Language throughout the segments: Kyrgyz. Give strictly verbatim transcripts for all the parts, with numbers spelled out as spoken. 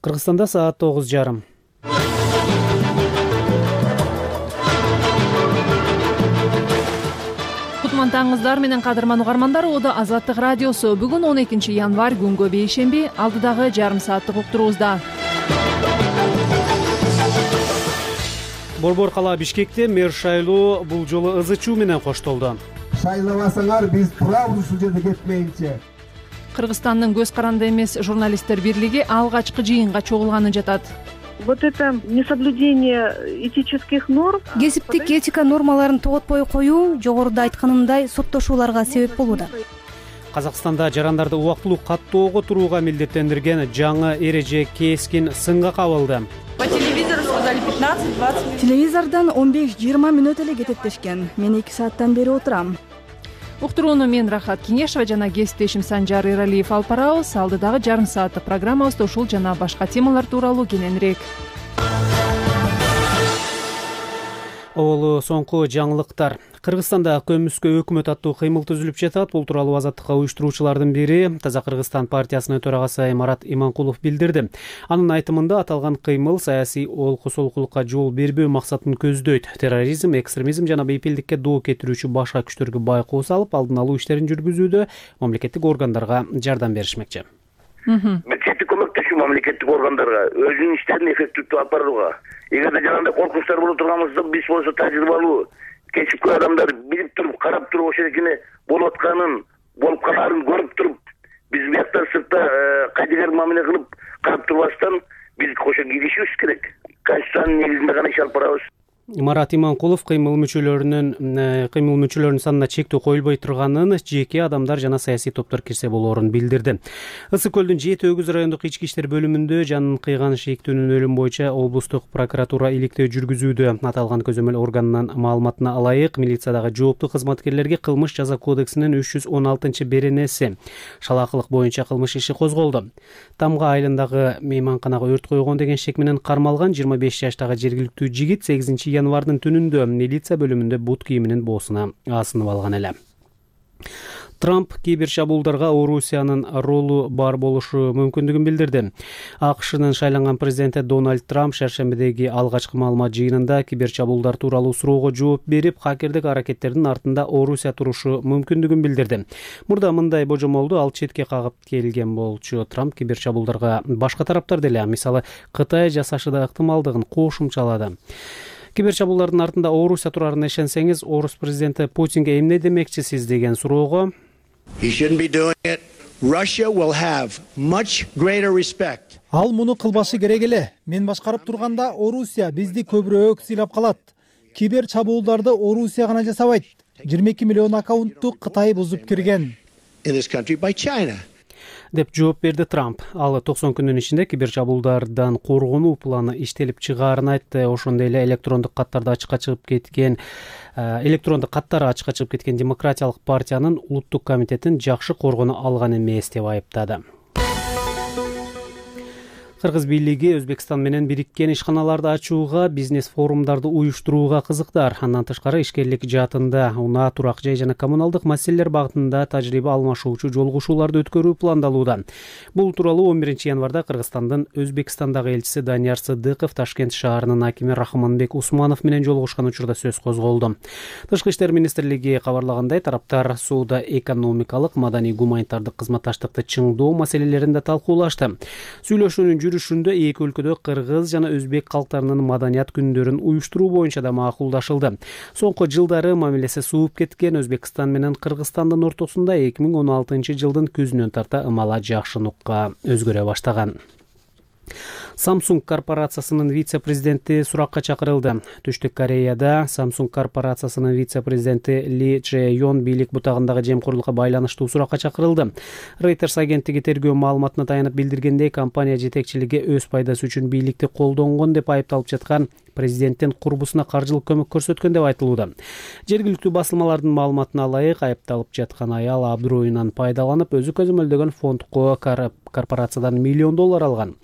Кыргызстанда саат тогуз жарым. Кутман таңыңыздар менен кадырман угармандар. Ода Азаттык радиосу. Бүгүн он экинчи январь күнгө бейшемби, алдыдагы жарым сааттык уктуруубузда. Борбор кала Бишкекте мэр шайлоо бул жолу ызы-чуу менен коштолду. Шайлабасаңар биз турабыз ушул жерде кетмейинче. Кыргызстандын көз каранды эмес журналисттер бирлиги алгачкы жыйынга чогулганы жатат. Вот это несоблюдение этических норм. Кесиптик этика нормаларын тоготпой коюу жогоруда айтканымдай соттошууларга себеп болууда. Казакстанда жарандарды убактылуу каттоого турууга милдеттендирген жаңы эреже кескин сынга кабылды. По телевизору сказали пятнадцать-двадцать минут. Телевизордон он беш жыйырма мүнөт эле кетет дешкен. Мен эки сааттан бери отурам. Уктурууну мен Рахат Кеңешова жана кесиптешим Санжар Эралиев алып барабыз. Алдыдагы жарым сааттык программабызда ушул жана башка темалар тууралуу кененирээк. Олу соңку жаңылыктар. Кыргызстанда көмүскө өкмөт аттуу кыймыл түзүлүп жатат. Бул тууралуу Азаттыкка уюштуруучулардын бири Таза Кыргызстан партиясынын төрагасы Марат Иманкулов билдирди. Анын айтымында аталган кыймыл саясий олку-солкулукка жол бербөө максатын көздөйт. Терроризм, экстремизм жана бейпилдикке доо кетирүүчү башка күчтөргө байкоо салып, алдын алуу иштерин жүргүзүүдө мамлекеттик органдарга жардам беришмекчи. Мектептик көмөктөшүү мамлекеттик органдарга өзүнүн иштерин эффективдүү алып барууга. Эгерде жанагындай коркунучтар боло турганыбызда биз болсо тажрыйбалуу, кечипкөй адамдар билип туруп, карап туруп ошол экени болуп атканын, болуп калаарын көрүп туруп, биз биякта сыртта кайдыгер мамиле кылып карап турбастан биз ошо киришибиз керек. Конституциянын негизинде гана иш алып барабыз. Марат Иманкулов кыймыл мүчөлөрүнүн кыймыл мүчөлөрүнүн санына чектөө коюлбой турганын, жеке адамдар жана саясий топтор кирсе болоорун билдирди. Ысык көлдүн Жети Өгүз райондук ички иштер бөлүмүндө жанын кыйган шейктүүнүн өлүм боюнча облустук прокуратура иликтөө жүргүзүүдө. Аталган көзөмөл органынын маалыматына ылайык, милициядагы жооптуу кызматкерлерге кылмыш жаза кодексинин үч жүз он алтынчы беренеси шалаакылык боюнча кылмыш иши козголду. Тамга айылындагы мейманканага өрт койгон деген шек менен кармалган жыйырма беш жаштагы жергиликтүү жигит сегизинчи январдын түнүндө милиция бөлүмүндө бут кийиминин боосуна асынып алган эле. Трамп кибер чабуулдарга Орусиянын ролу бар болушу мүмкүндүгүн билдирди. АКШнын шайланган президенти Дональд Трамп шаршембидеги алгачкы маалымат жыйынында кибер чабуулдар тууралуу суроого жооп берип, хакердик аракеттердин артында Орусия турушу мүмкүндүгүн билдирди. Мурда мындай божомолду ал четке кагып келген болчу. Трамп кибер чабуулдарга башка тараптар деле, мисалы Кытай жасашы да ыктымалдыгын кошумчалады. Кибер чабуулдардын артында Орусия турарына ишенсеңиз, Орус президенти Путинге эмне демекчисиз деген суроого ал муну кылбашы керек эле. Мен башкарып турганда Орусия бизди көбүрөөк сыйлап калат. Кибер чабуулдарды Орусия гана жасабайт. жыйырма эки миллион аккаунтту Кытай бузуп кирген деп жооп берди Трамп. Ал токсон күндүн ичинде кибер чабуулдардан коргонуу планы иштелип чыгаарын айтты. Ошондой эле электрондук каттарды ачыкка чыгып кеткен электрондук каттары ачыкка чыгып кеткен Демократиялык партиянын улуттук комитетин жакшы коргоно алган эмес деп айыптады. Кыргыз бийлиги Өзбекстан менен бириккен ишканаларды ачууга, бизнес форумдарды уюштурууга кызыктар. Андан тышкары ишкерлик жаатында унаа, турак жай жана коммуналдык маселелер багытында тажрыйба алмашуучу жолугушууларды өткөрүү пландалууда. Бул тууралуу он биринчи январда Кыргызстандын Өзбекстандагы элчиси Данияр Сыдыков Ташкент шаарынын акими Рахманбек Усманов менен жолугушкан учурда сөз козголду. Тышкы иштер министрлиги кабарлагандай, тараптар сууда экономикалык, маданий, гуманитардык кызматташтыкты чыңдоо маселелеринде талкуулашты. Сүйлөшүүнүн жүрүшүндө эки өлкөдө кыргыз жана өзбек калктарынын маданият күндөрүн уюштуруу боюнча да макулдашылды. Соңку жылдары мамилеси сууп кеткен Өзбекстан менен Кыргызстандын ортосунда эки миң он алтынчы жылдын күзүнөн тарта ымала жакшы нукка өзгөрө баштаган. Samsung корпорациясынын вице-президенти суракка чакырылды. Түштүк Кореяда Samsung корпорациясынын вице-президенти Ли Чэ Йон бийлик бутагындагы жемкорлукка байланыштуу суракка чакырылды. Reuters агенттиги тергөө маалыматына таянып билдиргендей, компания жетекчилиги өз пайдасы үчүн бийликти колдонгон деп айыпталып жаткан президенттин курбусуна каржылык көмөк көрсөткөн деп айтылууда. Жергиликтүү басылмалардын маалыматына ылайык, айыпталып жаткан аял абдыроюнан пайдаланып, өзү көзөмөлдөгөн фондко корпорациядан миллион доллар алган.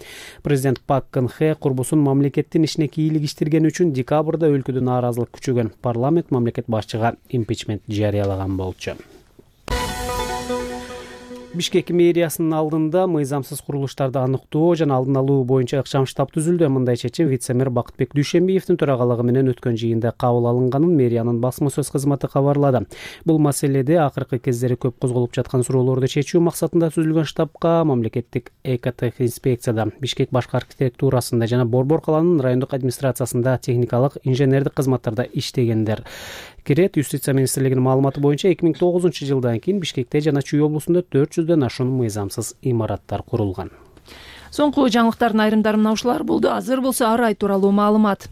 Президент Пак Кын Хэ курбусун мамлекеттин ишине кийлигиштирген үчүн декабрда өлкөдө нааразылык күчөгөн. Парламент мамлекет башчыга импичмент жарыялаган болчу. Бишкек мэриясынын алдында мыйзамсыз курулуштарды аныктоо жана алдын алуу боюнча ыкчам штаб түзүлдү. Мындай чечим вице-мэр Бакытбек Дүйшөнбиевдин төрагалыгы менен өткөн жыйында кабыл алынганын мэриянын басма сөз кызматы кабарлады. Бул маселеде акыркы кездери көп козголуп жаткан суроолорду чечүү максатында түзүлгөн штабка мамлекеттик экотех инспекцияда, Бишкек башкы архитектурасында жана Борбор каланын райондук администрациясында техникалык инженердик кызматтарда иштегендер кирет. Юстиция министрлигинин маалыматы боюнча эки миң тогузунчу жылдан кийин Бишкекте жана Чүй облусунда төрт жүздөн ашуун мыйзамсыз имараттар курулган. Соңку жаңылыктардын айрымдары мына ушулар болду. Азыр болсо ар ай тууралуу маалымат.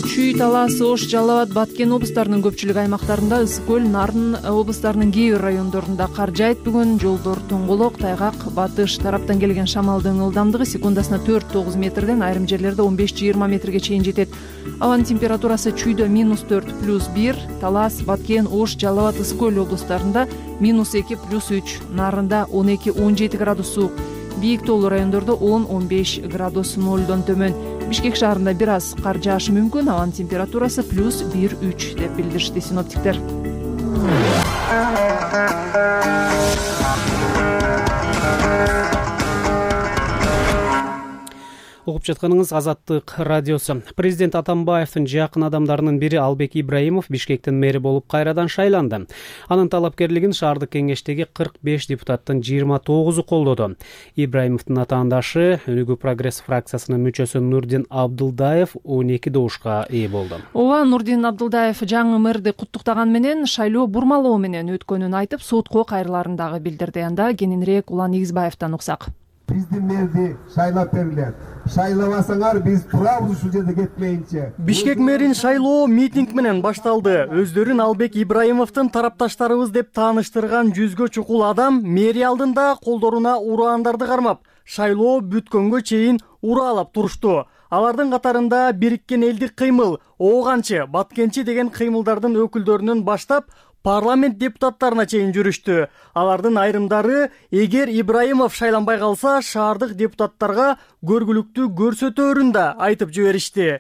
Чүй, Талас, Ош, Жалал абад, Баткен облустарынын көпчүлүк аймактарында, Ысык көл, Нарын облустарынын кээ бир райондорунда кар жаайт. Бүгүн жолдор тоңголок, тайгак, батыш тараптан келген шамалдын ылдамдыгы секундасына төрт тогуз метрден айрым жерлерде он беш жыйырма метрге чейин жетет. Абанын температурасы Чүйдө минус төрт плюс бир, Талас, Баткен, Ош, Жалал абад, Ысык көл облустарында минус эки плюс үч, Нарында он эки он жети градус суук, бийик тоолуу райондордо он он беш градус нолдон төмөн. Бишкек шаарында бир аз кар жаашы мүмкүн. Абанын температурасы плюс бир үч деп билдиришти синоптиктер. Угуп жатканыңыз Азаттык радиосу. Президент Атамбаевдин жакын адамдарынын бири Албек Ибраимов Бишкектин мэри болуп кайрадан шайланды. Анын талапкерлигин шаардык кеңештеги кырк беш депутаттын жыйырма тогузу колдоду. Ибраимовдун атаандашы Өнүгүү прогресс фракциясынын мүчөсү Нурдин Абдылдаев он эки добушка ээ болду. Ооба, Нурдин Абдылдаев жаңы мэрди куттуктаган менен шайлоо бурмалоо менен өткөнүн айтып, сотко кайрыларын дагы билдирди. Анда кененирээк Улан Игизбаевден уксак. Биздин мэрди шайлап берилет. Шайлабасаңар биз турабыз ушул жерде кетмейинче. Бишкек мэрин шайлоо митинг менен башталды. Өздөрүн Албек Ибраимовдун тарапташтарыбыз деп тааныштырган жүзгө чукул адам мэрия алдында колдоруна ураандарды кармап, шайлоо бүткөнгө чейин ураалап турушту. Алардын катарында Бириккен элдик кыймыл, Ооганчы, Баткенчи деген кыймылдардын өкүлдөрүнөн баштап парламент депутаттарына чейин жүрүштү. Алардын айрымдары эгер Ибраимов шайланбай калса, шаардык депутаттарга көргүлүктүү көрсөтөөрүн да айтып жиберишти.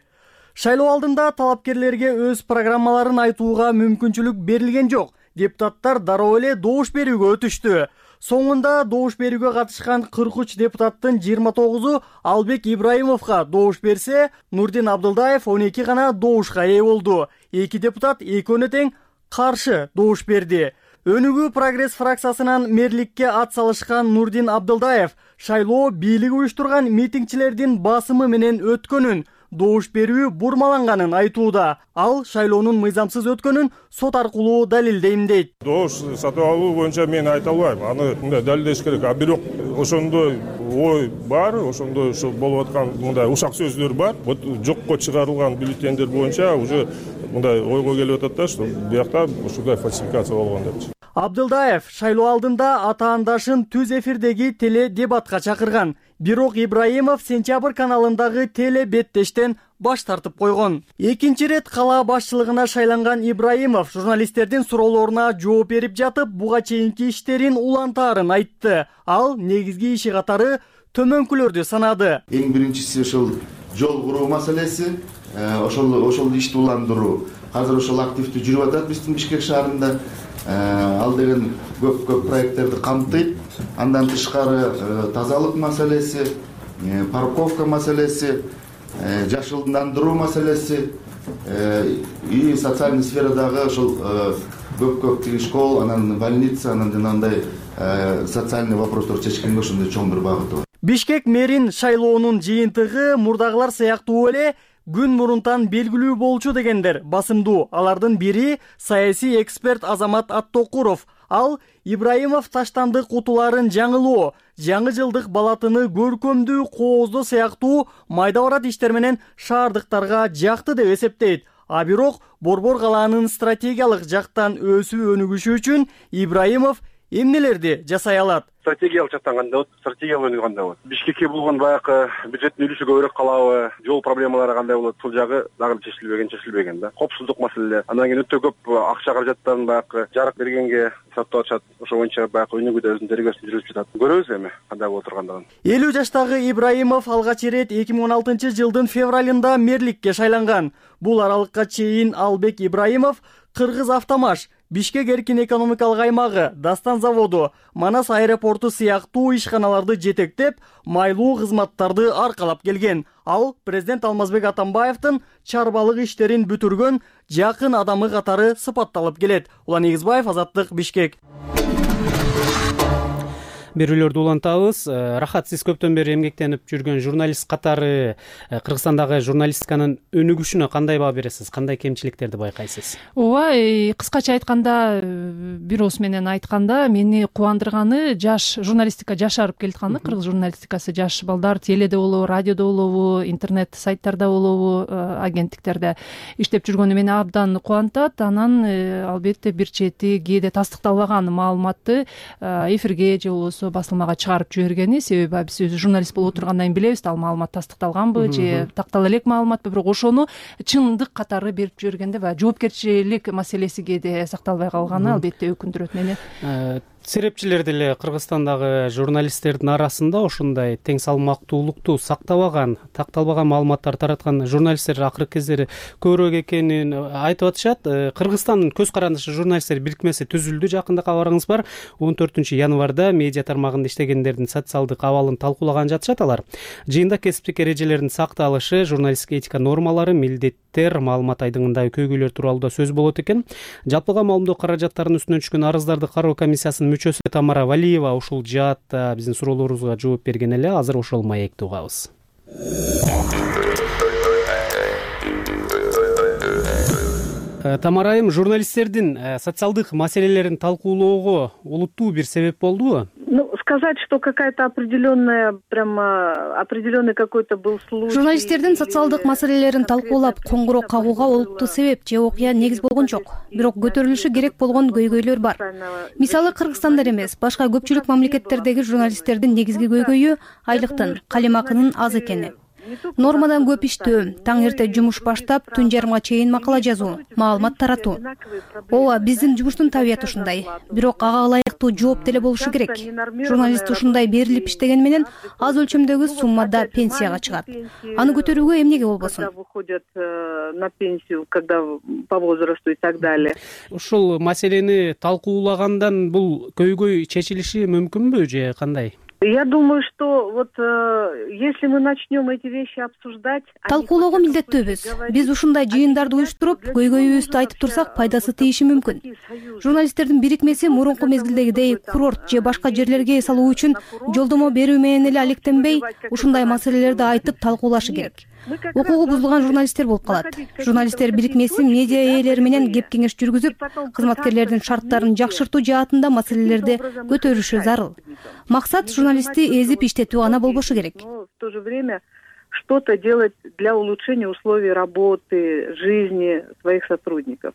Шайлоо алдында талапкерлерге өз программаларын айтууга мүмкүнчүлүк берилген жок. Депутаттар дароо эле добуш берүүгө өтүштү. Соңунда добуш берүүгө катышкан кырк үч депутаттын жыйырма тогузу Албек Ибраимовго добуш берсе, Нурдин Абдылдаев он эки гана добушка ээ болду. Эки депутат экөөнө тең каршы добуш берди. Өнүгүү прогресс фракциясынан мэрликке ат салышкан Нурдин Абдылдаев шайлоо бийлиги уюштурган митингчилердин басымы менен өткөнүн, добуш берүү бурмаланганын айтууда. Ал шайлоонун мыйзамсыз өткөнүн сот аркылуу далилдейм дейт. Добуш сатып алуу боюнча мен айта албайм. Аны мындай далилдеш керек. А бирок ошондой ой бар, ошондой ошо болуп аткан мындай ушак сөздөр бар. Вот жокко чыгарылган бюллетендер боюнча уже мындай ойго келип атат да, что биякта ушундай фальсификация болгон депчи. Абдылдаев шайлоо алдында атаандашын түз эфирдеги теле дебатка чакырган. Бирок Ибраимов Сентябрь каналындагы теле беттештен баш тартып койгон. Экинчи рет кала башчылыгына шайланган Ибраимов журналисттердин суроолоруна жооп берип жатып, буга чейинки иштерин улантаарын айтты. Ал негизги иши катары төмөнкүлөрдү санады. Эң биринчиси ошол жол куруу маселеси, ошол ошол ишти уландыруу. Азыр ошол активдүү жүрүп атат биздин Бишкек шаарында. Ал деген көп-көп проекттерди камтыйт. Андан тышкары тазалык маселеси, парковка маселеси, жашылдандыруу маселеси и социальный сферадагы ошол көп-көп тиги школ, анан больница, анан жанагындай социальный вопростор чечкенге ошондой чоң бир багыты бар. Бишкек мэрин шайлоонун жыйынтыгы мурдагылар сыяктуу эле күн мурунтан белгилүү болчу дегендер басымдуу. Алардын бири саясий эксперт Азамат Аттокуров. Ал Ибраимов таштандык утуларын жаңылоо, жаңы жылдык балатыны көркөмдүү, кооздоо сыяктуу майда барат иштер менен шаардыктарга жакты деп эсептейт. А бирок Борбор калаанын стратегиялык жактан өсүү өнүгүшү үчүн Ибраимов эмнелерди жасай алат? Стратегиялык жактан кандай болот? Стратегиялык өнүгүү кандай болот? Бишкекке болгон баягы бюджеттин үлүшү көбүрөөк калабы? Жол проблемалары кандай болот? Бул жагы дагы чечилбеген, чечилбеген да. Коопсуздук маселе. Андан кийин өтө көп акча каражаттарын баягы жарык бергенге сатып атышат. Ошо боюнча баягы өнүгүүдө өзүнүн тергөөсүн жүргүзүп жатат. Көрөбүз эми кандай болуп тургандыгын. элүү жаштагы Ибраимов алгач ирет эки миң он алтынчы жылдын февралында мэрликке шайланган. Бул аралыкка чейин Албек Ибраимов Кыргыз Автомаш Бишкек эркин экономикалык аймагы, Дастан заводу, Манас аэропорту сыяктуу ишканаларды жетектеп, майлуу кызматтарды аркалап келген. Ал президент Алмазбек Атамбаевдин чарбалык иштерин бүтүргөн жакын адамы катары сыпатталып келет. Улан Эгизбаев, Азаттык, Бишкек. Берүүлөрдү улантабыз. Рахат, сиз көптөн бери эмгектенип жүргөн журналист катары Кыргызстандагы журналистиканын өнүгүшүнө кандай баа бересиз? Кандай кемчиликтерди байкайсыз? Ооба, кыскача айтканда, бир ооз менен айтканда, мени кубандырганы жаш журналистика жашарып келатканы. Кыргыз журналистикасы жаш балдар теледе болобу, радиодо болобу, интернет сайттарда болобу, агенттиктерде иштеп жүргөнү мени абдан кубантат. Анан албетте бир чети кээде тастыкталбаган маалыматты эфирге же болбосо басылмага чыгарып жибергени, себеби биз өзү журналист болуп отургандан кийин билебиз, ал маалымат тастыкталганбы же тактала элек маалыматпы, бирок ошону чындык катары берип жибергенде баягы жоопкерчилик маселеси кээде сакталбай калганы албетте өкүндүрөт мени. Серепчилер деле Кыргызстандагы журналисттердин арасында ушундай тең салмактуулукту сактабаган, такталбаган маалыматтар тараткан журналисттер акыркы кездери көбүрөөк экенин айтып атышат. Кыргызстандын көз карандышы журналисттер бирикмеси түзүлдү. Жакында кабарыңыз бар. он төртүнчү январда медиа тармагында иштегендердин социалдык абалын талкуулаган жатышат алар. Жыйында кесиптик эрежелердин сакталышы, журналисттик этика нормалары, милдеттер, маалымат айдыңындагы көйгөйлөр тууралуу да сөз болот экен. Жалпыга маалымдоо каражаттарынын үстүнөн түшкөн арыздарды кароо комиссиясынын мүчөсү Тамара Валиева ушул жаатта биздин суроолорубузга жооп берген эле. Азыр ошол маекти угабыз. Тамара айым, журналисттердин социалдык маселелерин талкуулоого олуттуу бир себеп болдубу? Ну, сказать, что какая-то определенная, прямо определенный какой-то был случай. Журналисттердин социалдык маселелерин талкуулап коңгуроо кагууга олуттуу себеп же окуя негиз болгон жок. Бирок көтөрүлүшү керек болгон көйгөйлөр бар. Мисалы, Кыргызстанда эмес, башка көпчүлүк мамлекеттердеги журналисттердин негизги көйгөйү айлыктын, калемакынын аз экени. Нормадан көп иштөө, таң эрте жумуш баштап, түн жарымга чейин макала жазуу, маалымат таратуу. Ооба, биздин жумуштун табияты ушундай. Бирок ага ылайыктуу жооп деле болушу керек. Журналист ушундай берилип иштеген менен аз өлчөмдөгү суммада пенсияга чыгат. Аны көтөрүүгө эмнеге болбосун? Выходят на пенсию, когда по возрасту и так далее. Ушул маселени талкуулагандан бул көйгөй чечилиши мүмкүнбү же кандай? Я думаю, что вот э, если мы начнем эти вещи обсуждать, талкуулоого милдеттүүбүз. Биз ушундай жыйындарды уюштуруп, көйгөйүбүздү айтып турсак, пайдасы тийиши мүмкүн. Журналисттердин бирикмеси мурунку мезгилдегидей курорт же башка жерлерге эс алуу үчүн жолдомо берүү менен эле алектенбей, ушундай маселелерди айтып талкуулашы керек. Укугу бузулган журналисттер болуп калат. Журналисттер бирикмеси медиа ээлери менен кеп кеңеш жүргүзүп, кызматкерлердин шарттарын жакшыртуу жаатында маселелерди көтөрүшү зарыл. Максат журналистти эзип иштетүү гана болбошу керек. В то же время что-то делать для улучшения условий работы, жизни своих сотрудников.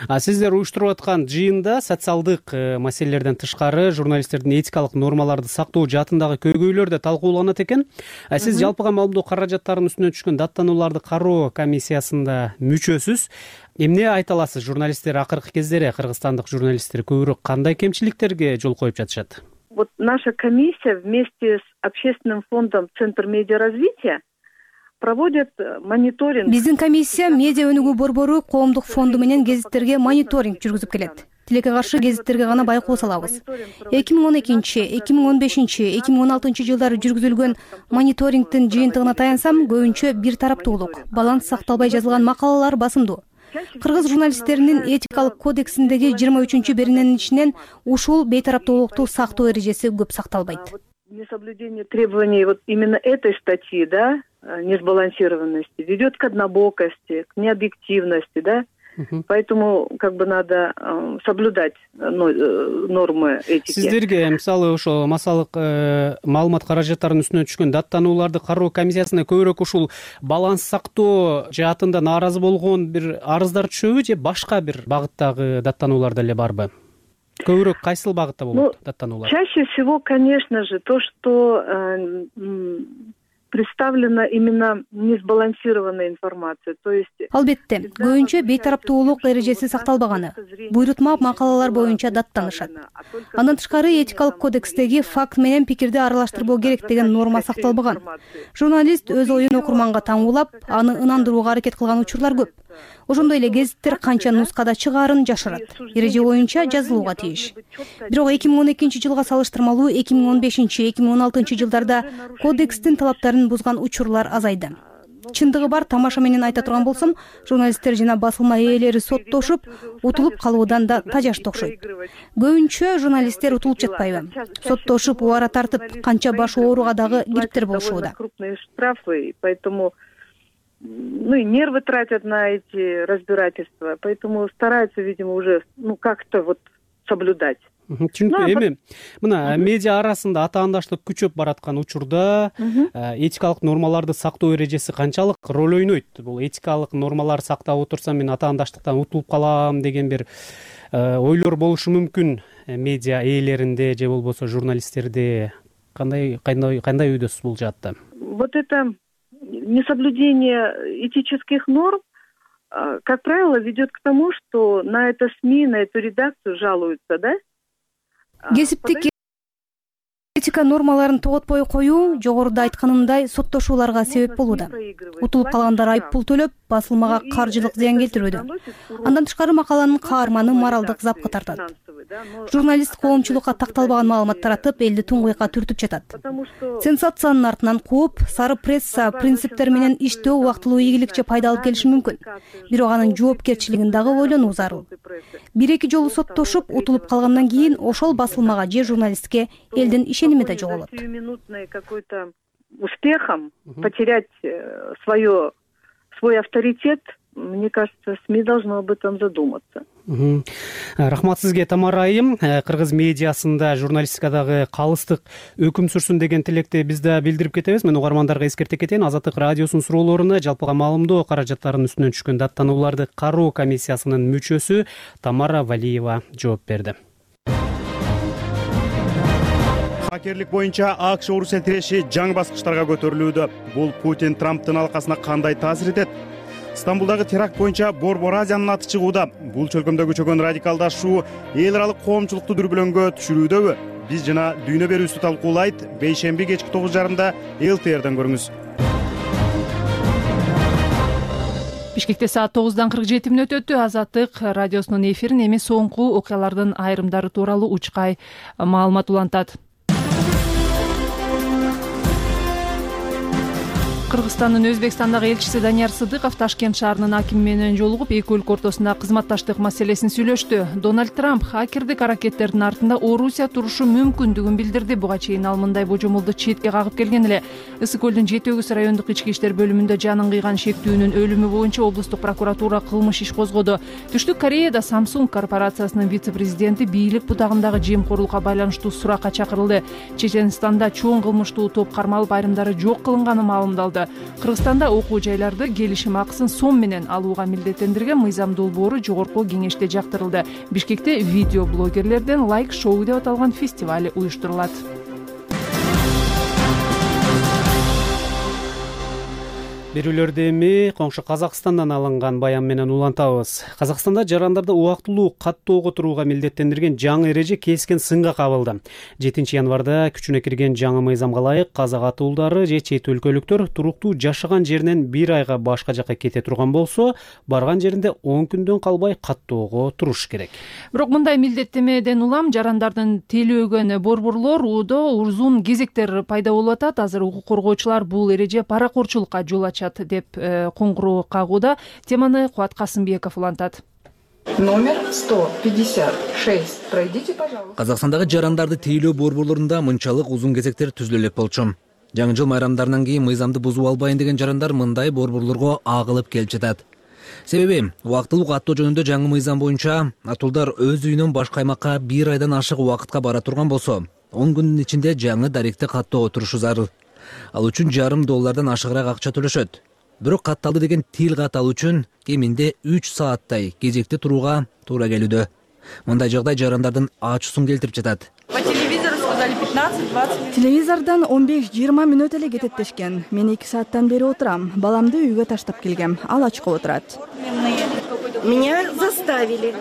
А сиздер уюштуруп аткан жыйында социалдык маселелерден тышкары журналисттердин этикалык нормаларды сактоо жаатындагы көйгөйлөр да талкууланат экен. А сиз жалпыга маалымдоо каражаттарынын үстүнөн түшкөн даттанууларды кароо комиссиясында мүчөсүз. Эмне айта аласыз? Журналисттер акыркы кездери, кыргызстандык журналисттер көбүрөөк кандай кемчиликтерге жол коюп жатышат? Вот наша комиссия вместе с общественным фондом Центр медиаразвития проводит мониторинг. Биздин комиссия медиа өнүгүү борбору коомдук фонду менен гезиттерге мониторинг жүргүзүп келет. Тилекке каршы гезиттерге гана байкоо салабыз. эки миң он экинчи, эки миң он бешинчи, эки миң он алтынчы жылдары жүргүзүлгөн мониторингдин жыйынтыгына таянсам, көбүнчө бир тараптуулук, баланс сакталбай жазылган макалалар басымдуу. Кыргыз журналисттеринин этикалык кодексиндеги жыйырма үчүнчү берененин ичинен ушул бейтараптуулукту сактоо эрежеси көп сакталбайт. Несоблюдение требований вот именно этой статьи, да, несбалансированности ведет к однобокости, к необъективности, да. Поэтому как бы надо э, соблюдать нормы этики. Сиздерге мисалы ошо массалык маалымат каражаттарынын үстүнөн түшкөн даттанууларды кароо комиссиясына көбүрөөк ушул баланс сактоо жаатында нааразы болгон бир арыздар түшөбү же башка бир багыттагы даттануулар деле барбы? Көбүрөөк кайсыл багытта болот даттануулар? Чаще всего, конечно же, то, что э, представлена именно несбалансированная информация, то есть албетте көбүнчө бейтараптуулук эрежеси сакталбаганы, буйрутма макалалар боюнча даттанышат. Андан тышкары этикалык кодекстеги факт менен пикирди аралаштырбоо керек деген норма сакталбаган. Журналист өз оюн окурманга таңуулап, аны ынандырууга аракет кылган учурлар көп. Ошондой эле гезиттер канча нускада чыгаарын жашырат. Эреже боюнча жазылууга тийиш. Бирок эки миң он экинчи жылга салыштырмалуу эки миң он бешинчи эки миң он алтынчы жылдарда кодекстин талаптарын бузган учурлар азайды. Чындыгы бар, тамаша менен айта турган болсом, журналисттер жана басылма ээлери соттошуп, утулуп калуудан да тажашты окшойт. Көбүнчө журналисттер утулуп жатпайбы? Соттошуп, убара тартып, канча башы ооруга дагы кириптер болушууда. Крупные штрафы, поэтому ну и нервы тратят на эти разбирательства, поэтому стараются, видимо, уже ну как-то вот соблюдать. Түшүнүктүү. Эми мына медиа арасында атаандаштык күчөп бараткан учурда этикалык нормаларды сактоо эрежеси канчалык роль ойнойт? Бул этикалык нормаларды сактап отурсам мен атаандаштыктан утулуп калам деген бир ойлор болушу мүмкүн медиа ээлеринде же болбосо журналисттерде. Кандай кандай кандай ойдосуз бул жаатта? Вот это несоблюдение этических норм, как правило, ведет к тому, что на это СМИ, на эту редакцию жалуются, да? Кесиптик этика нормаларын тоготпой коюу жогоруда айтканымдай соттошууларга себеп болууда. Утулуп калгандар айып пул төлөп, басылмага каржылык зыян келтирүүдө. Андан тышкары макаланын каарманы моралдык запка тартат. Журналист коомчулукка такталбаган маалымат таратып, элди туңгуйкка түртүп жатат. Сенсациянын артынан кууп, сары пресса принциптер менен иштөө убактылуу ийгиликче пайда алып келиши мүмкүн. Бирок анын жоопкерчилигин дагы ойлонуу зарыл. Бир-эки жолу соттошуп, утулуп калгандан кийин ошол басылмага же журналистке элдин ишеними да жоголот. Сиюминутный какой-то успехом потерять свое свой авторитет, мне кажется, СМИ должно об этом задуматься. Рахмат сизге, Тамара айым. Кыргыз медиасында журналистикадагы калыстык өкүм сүрсүн деген тилекти биз да билдирип кетебиз. Мен угармандарга эскерте кетейин. Азаттык радиосунун суроолоруна жалпыга маалымдоо каражаттарынын үстүнөн түшкөн даттанууларды кароо комиссиясынын мүчөсү Тамара Валиева жооп берди. Хакерлик боюнча АКШ орусия тиреши жаңы баскычтарга көтөрүлүүдө. Бул Путин Трамптын алкасына кандай таасир этет? Стамбулдагы теракт боюнча Борбор Азиянын аты чыгууда. Бул чөлкөмдө күчөгөн радикалдашуу эл аралык коомчулукту дүрбөлөңгө түшүрүүдөбү? Биз жана дүйнө берүүсү талкуулайт. Бейшемби кечки тогуз жарымда эл ти эрден көрүңүз. Бишкекте саат тогуздан кырк жети мүнөт өттү. Азаттык радиосунун эфирин эми соңку окуялардын айрымдары тууралуу учкай маалымат улантат. Кыргызстандын Өзбекстандагы элчиси Данияр Сыдыков Ташкент шаарынын акими менен жолугуп, эки өлкө ортосунда кызматташтык маселесин сүйлөштү. Дональд Трамп хакердик аракеттердин артында Орусия турушу мүмкүндүгүн билдирди. Буга чейин ал мындай божомолду четке кагып келген эле. Ысык көлдүн Жети Өгүз райондук ички иштер бөлүмүндө жанын кыйган шектүүнүн өлүмү боюнча облустук прокуратура кылмыш иш козгоду. Түштүк Кореяда Samsung корпорациясынын вице-президенти бийлик бутагындагы жемкорлукка байланыштуу суракка чакырылды. Чеченстанда чоң кылмыштуу топ кармалып, айрымдары жок кылынганы маалымдалды. Кыргызстанда окуу жайларды келишим акысын сом менен алууга милдеттендирген мыйзам долбоору жогорку кеңеште жактырылды. Бишкекте видео блогерлерден лайк шоу деп аталган фестиваль уюштурулат. Берүүлөрдү эми коңшу Казакстандан алынган баян менен улантабыз. Казакстанда жарандарды убактылуу каттоого турууга милдеттендирген жаңы эреже кескен сынга кабылды. жетинчи январда күчүнө кирген жаңы мыйзамга ылайык казак атуулдары же чет өлкөлүктөр туруктуу жашаган жеринен бир айга башка жакка кете турган болсо, барган жеринде он күндөн калбай каттоого туруш керек. Бирок мындай милдеттемеден улам жарандардын тейлөөгөн борборлор уудо узун кезектер пайда болуп атат. Азыр укук коргоочулар бул эреже паракорчулукка жол ачат деп коңгуроо кагууда. Теманы Кубат Касымбеков улантат. Номер сто пятьдесят шесть. Пройдите, пожалуйста. Казакстандагы жарандарды тейлөө борборлорунда мынчалык узун кезектер түзүлө элек болчу. Жаңы жыл майрамдарынан кийин мыйзамды бузуп албайын деген жарандар мындай борборлорго агылып келип жатат. Себеби убактылуу каттоо жөнүндө жаңы мыйзам боюнча атуулдар өз үйүнөн башка аймакка бир айдан ашык убакытка бара турган болсо, он күндүн ичинде жаңы даректи каттоого турушу зарыл. Ал үчүн жарым доллардан ашыгыраак акча төлөшөт. Бирок катталды деген тил кат алуу үчүн кеминде үч сааттай кезекте турууга туура келүүдө. Мындай жагдай жарандардын ачуусун келтирип жатат. По телевизору сказали пятнадцать-двадцать минут. Телевизордон он беш жыйырма мүнөт эле кетет дешкен. Мен эки сааттан бери отурам. Баламды үйгө таштап келгем. Ал ачка отурат. Меня заставили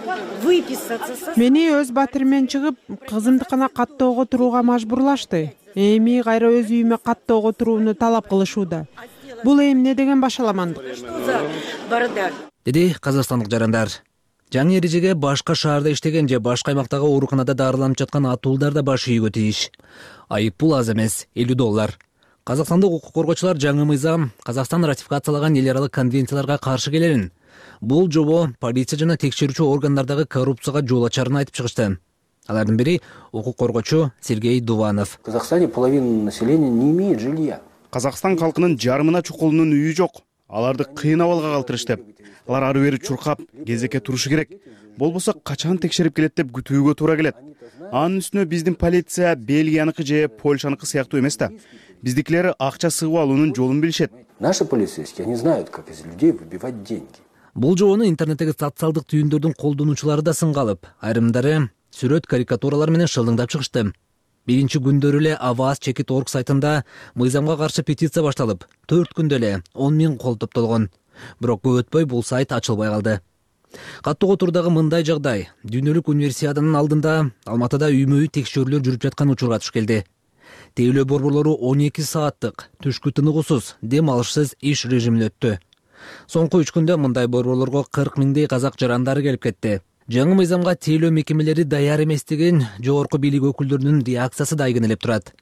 выписаться. Мени өз батырым менен чыгып, кызымдыкына каттоого турууга мажбурлашты. Эми кайра өз үйүмө каттоого турууну талап кылышууда. Бул эмне деген башаламандык? Бардак. деди казакстандык жарандар. Жаңы эрежеге башка шаарда иштеген же башка аймактагы ооруканада дарыланып жаткан атуулдар да баш ийүүгө тийиш. Айыппул аз эмес, элүү доллар. Казакстандык укук коргоочулар жаңы мыйзам Казакстан ратификациялаган эл аралык конвенцияларга каршы келерин, бул жобо полиция жана текшерүүчү органдардагы коррупцияга жол ачарын айтып чыгышты. Алардын бири укук коргоочу Сергей Дуванов. В Казахстане половина населения не имеет жилья. Казакстан калкынын жарымына чукулунун үйү жок. Аларды кыйын абалга калтырышты. Алар ары бери чуркап, кезекке турушу керек. Болбосо качан текшерип келет деп күтүүгө туура келет. Анын үстүнө биздин полиция Бельгияныкы же Польшаныкы сыяктуу эмес да. Биздикилер акча сыгып алуунун жолун билишет. Наши полицейские, они знают, как из людей выбивать деньги. Бул жобону интернеттеги социалдык түйүндөрдүн колдонуучулары да сынга алып, айрымдары сүрөт карикатуралар менен шылдыңдап чыгышты. Биринчи күндөрү эле Аваз чекит орг сайтында мыйзамга каршы петиция башталып, төрт күндө эле он миң кол топтолгон. Бирок көп өтпөй бул сайт ачылбай калды. Каттуу турдагы мындай жагдай дүйнөлүк универсиаданын алдында Алматыда үймө-үй текшерүүлөр жүрүп жаткан учурга туш келди. Тейлөө борборлору он эки сааттык түшкү тыныгуусуз, дем алышсыз иш режимине өттү. Соңку үч күндө мындай борборлорго кырк миңдей казак жарандары келип кетти. Жаңы мыйзамга тейлөө мекемелери даяр эмес деген жогорку бийлик өкүлдөрүнүн реакциясы да айгинелеп турат.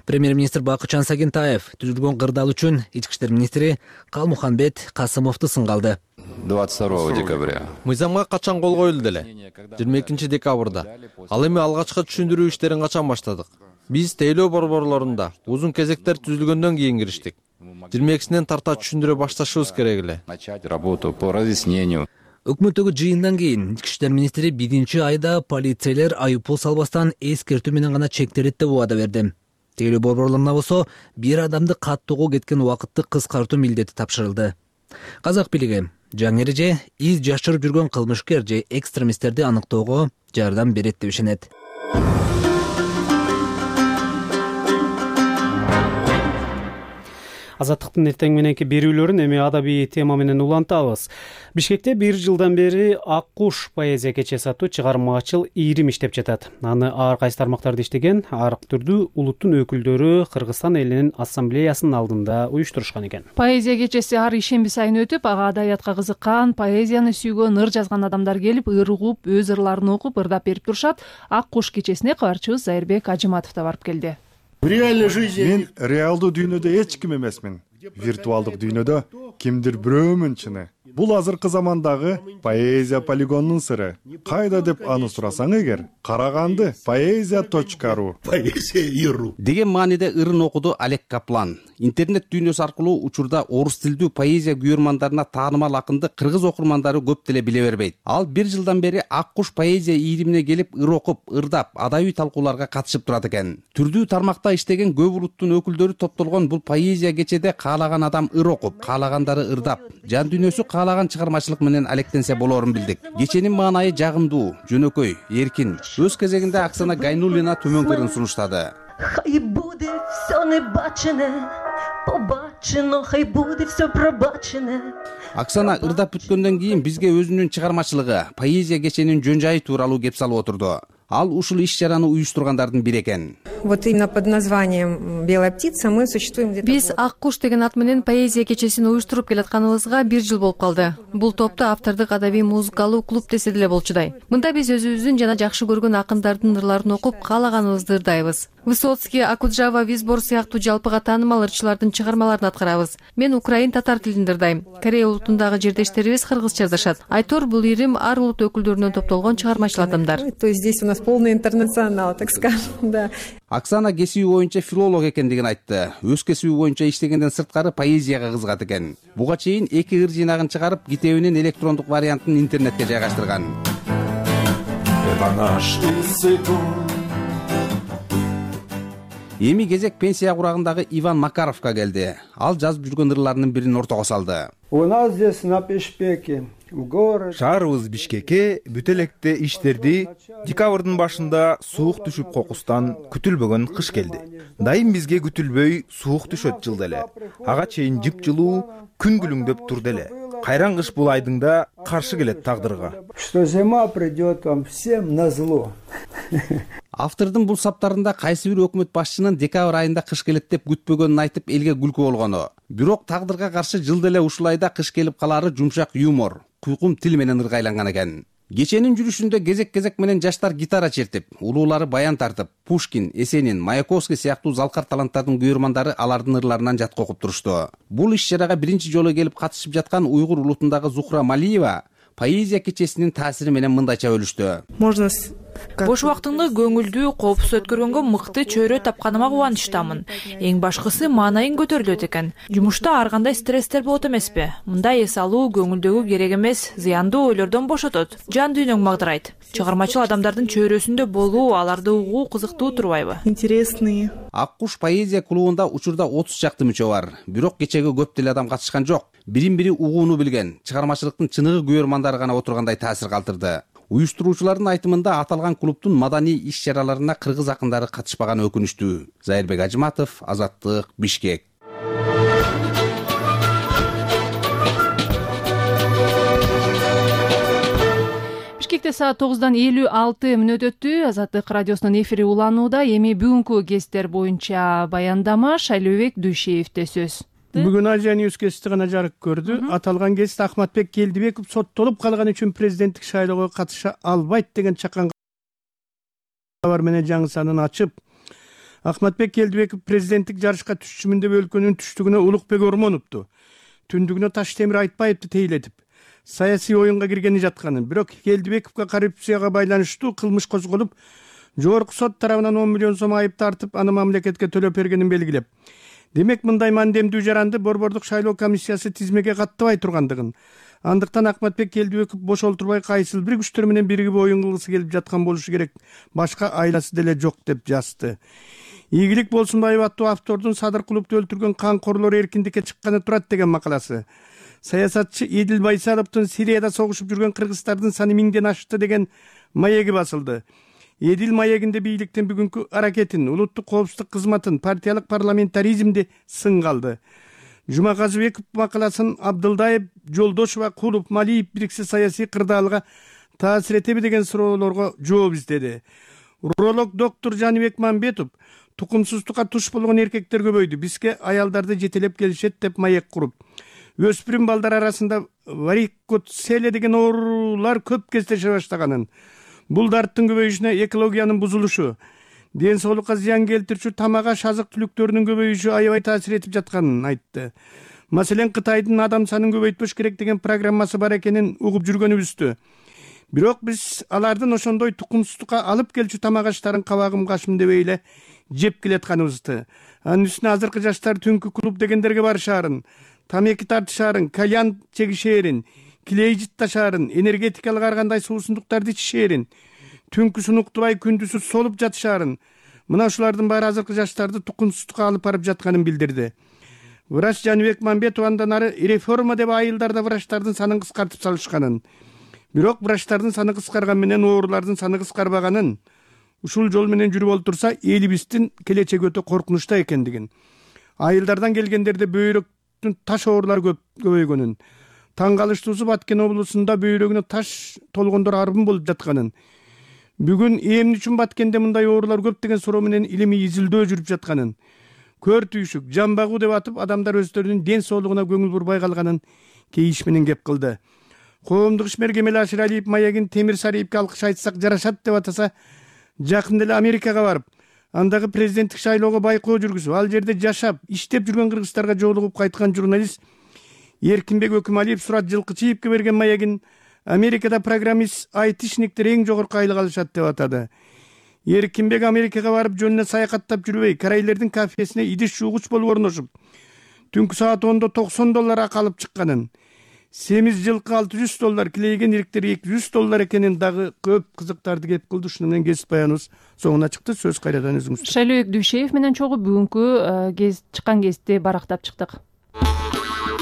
Премьер-министр Бакытжан Сагентаев түзүлгөн кырдаал үчүн ички иштер министри Калмуханбет Касымовду сынга алды. двадцать второго декабря. Мыйзамга качан кол коюлду эле? жыйырма экинчи декабрда. Ал эми алгачкы түшүндүрүү иштерин качан баштадык? Биз тейлөө борборлорунда узун кезектер түзүлгөндөн кийин кириштик. жыйырма экисинен тарта түшүндүрө башташыбыз керек эле. Начать работу по разъяснению. Өкмөттөгү жыйындан кийин ички иштер министри биринчи айда полицейлер айыппул салбастан эскертүү менен гана чектелет деп убада берди. Тейлөө борборлоруна болсо бир адамды каттоого кеткен убакытты кыскартуу милдети тапшырылды. Казак бийлиги жаңы эреже из жашырып жүргөн кылмышкер же экстремисттерди аныктоого жардам берет деп ишенет. Азаттыктын эртең мененки берүүлөрүн эми адабий тема менен улантабыз. Бишкекте бир жылдан бери Ак куш поэзия кечеси аттуу чыгармачыл ийрим иштеп жатат. Аны ар кайсы тармактарда иштеген ар түрдүү улуттун өкүлдөрү Кыргызстан элинин ассамблеясынын алдында уюштурушкан экен. Поэзия кечеси ар ишемби сайын өтүп, ага адабиятка кызыккан, поэзияны сүйгөн, ыр жазган адамдар келип, ыр угуп, өз ырларын окуп, ырдап берип турушат. Ак куш кечесине кабарчыбыз Зайырбек Ажыматов да барып келди. Мен реалдуу дүйнөдө эч ким эмесмин. Виртуалдык дүйнөдө кимдир бирөөмүн чыны. Бул азыркы замандагы поэзия полигонунун сыры. Кайда деп аны сурасаң эгер, Караганды поэзия точка ру. Поэзия иру деген мааниде ырын окуду Олег Каплан. Интернет дүйнөсү аркылуу учурда орус тилдүү поэзия күйөрмандарына таанымал акынды кыргыз окурмандары көп деле биле бербейт. Ал бир жылдан бери Ак куш поэзия ийримине келип, ыр окуп, ырдап, адабий талкууларга катышып турат экен. Түрдүү тармакта иштеген көп улуттун өкүлдөрү топтолгон бул поэзия кечеде каалаган адам ыр окуп, каалагандары ырдап, жан дүйнөсү каалаган чыгармачылык менен алектенсе болоорун билдик. Кеченин маанайы жагымдуу, жөнөкөй, эркин. Өз кезегинде Оксана Гайнуллина төмөнкөрүн сунуштады. Хай буде все небачене, побачено, хай буде все пробачене. Оксана ырдап бүткөндөн кийин бизге өзүнүн чыгармачылыгы, поэзия кеченин жөн жайы тууралуу кеп салып отурду. Ал ушул иш чараны уюштургандардын бири экен. Вот именно под названием «Белая птица» мы существуем где-то... Биз Ак куш деген ат менен поэзия кечесин уюштуруп келатканыбызга бир жыл болуп калды. Бул топто автордук адабий музыкалуу клуб десе деле болчудай. Мында биз өзүбүздүн жана жакшы көргөн акындардын ырларын окуп, каалаганыбызды ырдайбыз. Высоцкий, Акуджава, Визбор сыяктуу жалпыга таанымал ырчылардын чыгармаларын аткарабыз. Мен украин татар тилинде ырдайм. Корея улутундагы жердештерибиз кыргызча ырдашат. Айтор бул ийрим ар улут өкүлдөрүнөн топтолгон чыгармачыл адамдар. То есть здесь у нас полный интернационал, так скажем, да. Оксана кесиби боюнча филолог экендигин айтты. Өз кесиби боюнча иштегенден сырткары поэзияга кызыгат экен. Буга чейин эки ыр жыйнагын чыгарып, китебинин электрондук вариантын интернетке жайгаштырган. Эми кезек пенсия курагындагы Иван Макаровка келди. Ал жазып жүргөн ырларынын бирин ортого салды. У нас здесь на Пешпеке Шаарыбыз Бишкекке бүт электе иштерди. Декабрдын башында суук түшүп кокустан күтүлбөгөн кыш келди. Дайым бизге күтүлбөй суук түшөт жылда эле. Ага чейин жыпжылуу күн күлүңдөп турду эле. Кайран кыш бул айдыңда каршы келет тагдырга. Что зима придет вам всем на зло. Автордун бул саптарында кайсы бир өкмөт башчынын декабрь айында кыш келет деп күтпөгөнүн айтып элге күлкү болгону. Бирок тагдырга каршы жылда эле ушул айда кыш келип калаары жумшак юмор, куйкум тил менен ыргайланган экен. Кеченин жүрүшүндө кезек кезек менен жаштар гитара чертип, улуулары баян тартып, Пушкин, Есенин, Маяковский сыяктуу залкар таланттардын күйөрмандары алардын ырларынан жатка окуп турушту. Бул иш-чарага биринчи жолу келип катышып жаткан уйгур улутундагы Зухра Малиева поэзия кечесинин таасири менен мындайча бөлүштү. Можно бош убактымды көңүлдүү, коопсуз өткөргөнгө мыкты чөйрө тапканыма кубанычтамын. Эң башкысы маанайың көтөрүлөт экен. Жумушта ар кандай стресстер болот эмеспи? Мындай эс алуу көңүлдөгү керек эмес, зыяндуу ойлордон бошотот. Жан дүйнөң магдырайт. Чыгармачыл адамдардын чөйрөсүндө болуу, аларды угуу кызыктуу турбайбы? Интересные. Ак куш поэзия клубунда учурда отуз чакты мүчө бар. Бирок кечеге көп деле адам катышкан жок. Бирин-бири угууну билген, чыгармачылыктын чыныгы күйөрмандары гана отургандай таасир калтырды. Уюштуруучулардын айтымында аталган клубтун маданий иш-чараларына кыргыз акындары катышпаганы өкүнүчтүү. Зайырбек Ажыматов, Азаттык, Бишкек. Бишкекте саат тогуздан элүү алты мүнөт өттү. Азаттык радиосунун эфири уланууда. Эми бүгүнкү кесиптер боюнча баяндама Шайлообек Дүйшеевде сөз. Бүгүн Азия Ньюс кесити гана жарык көрдү. Аталган кесит Ахматбек Келдибеков соттолуп калган үчүн президенттик шайлоого катыша албайт деген чакан кабар менен жаңы санын ачып, Ахматбек Келдибеков президенттик жарышка түшчүмүн деп өлкөнүн түштүгүнө Улукбек Ормоновду, түндүгүнө Таштемир Айтбаевди тейлетип, саясий оюнга киргени жатканын, бирок Келдибековго коррупцияга байланыштуу кылмыш козголуп, жогорку сот тарабынан он миллион сом айып тартып, аны мамлекетке төлөп бергенин белгилеп, демек мындай мандемдүү жаранды Борбордук шайлоо комиссиясы тизмеге каттабай тургандыгын, андыктан Ахматбек Келдибеков бош олтурбай кайсыл бир күчтөр менен биригип оюн кылгысы келип жаткан болушу керек, башка айласы деле жок деп жазды. Ийгилик Болсунбаев аттуу автордун Садыр Кулупту өлтүргөн канкорлор эркиндикке чыкканы турат деген макаласы, саясатчы Эдил Байсаловдун Сирияда согушуп жүргөн кыргыздардын саны миңден ашты деген маеги басылды. Эдил маегинде бийликтин бүгүнкү аракетин, улуттук коопсуздук кызматын, партиялык парламентаризмди сынга алды. Жумаказыбеков макаласын Абдылдаев, Жолдошова, Кулуп, Малиев бириксе саясий кырдаалга таасир этеби деген суроолорго жооп издеди. Уролог доктор Жаныбек Мамбетов тукумсуздукка туш болгон эркектер көбөйдү, бизге аялдарды жетелеп келишет деп маек куруп, өспүрүм балдар арасында варикоцеле деген оорулар көп кездеше баштаганын, бул дарттын көбөйүшүнө экологиянын бузулушу, ден соолукка зыян келтирүүчү тамак аш азык түлүктөрүнүн көбөйүшү аябай таасир этип жатканын айтты. Маселен, Кытайдын адам санын көбөйтпөш керек деген программасы бар экенин угуп жүргөнүбүздү. Бирок биз алардын ошондой тукумсуздукка алып келчү тамак аштарын кабагым кашым дебей эле жеп келатканыбызды. Анын үстүнө азыркы жаштар түнкү клуб дегендерге барышаарын, тамеки тартышаарын, кальян чегишээрин, килей жытташаарын, энергетикалык ар кандай суусундуктарды ичишээрин, түнкүсүн уктубай күндүзү солуп жатышаарын, мына ушулардын баары азыркы жаштарды тукумсуздукка алып барып жатканын билдирди. Врач Жаныбек Мамбетов андан ары реформа деп айылдарда врачтардын санын кыскартып салышканын, бирок врачтардын саны кыскарган менен оорулардын саны кыскарбаганын, ушул жол менен жүрүп олтурса элибиздин келечеги өтө коркунучта экендигин, айылдардан келгендерде бөйрөктүн таш оорулары көп көбөйгөнүн, таң калыштуусу Баткен облусунда бөйрөгүнө таш толгондор арбын болуп жатканын, бүгүн эмне үчүн Баткенде мындай оорулар көп деген суроо менен илимий изилдөө жүрүп жатканын, көр түйшүк, жан багуу деп атып адамдар өздөрүнүн ден соолугуна көңүл бурбай калганын кейиш менен кеп кылды. Коомдук ишмер Кемел Аширалиев маегин Темир Сариевке алкыш айтсак жарашат деп атаса, жакында эле Америкага барып, андагы президенттик шайлоого байкоо жүргүзүп, ал жерде жашап, иштеп жүргөн кыргыздарга жолугуп кайткан журналист Эркинбек Өкүмалиев Сурат Жылкычиевке берген маегин Америкада программист айтишниктер эң жогорку айлык алышат деп атады. Эркинбек Америкага барып жөнүнө саякаттап жүрбөй, карайлердин кафесине идиш жуугуч болуп орношуп, түнкү саат ондо токсон доллар акы алып чыкканын, семиз жылкы алты жүз доллар, килейген ириктер эки жүз доллар экенин дагы көп кызыктарды кеп кылды. Ушуну менен кесип баяныбыз соңуна чыкты. Сөз кайрадан өзүңүздө. Шайлообек Дүйшеев менен чогуу бүгүнкү кез чыккан кесипти барактап чыктык.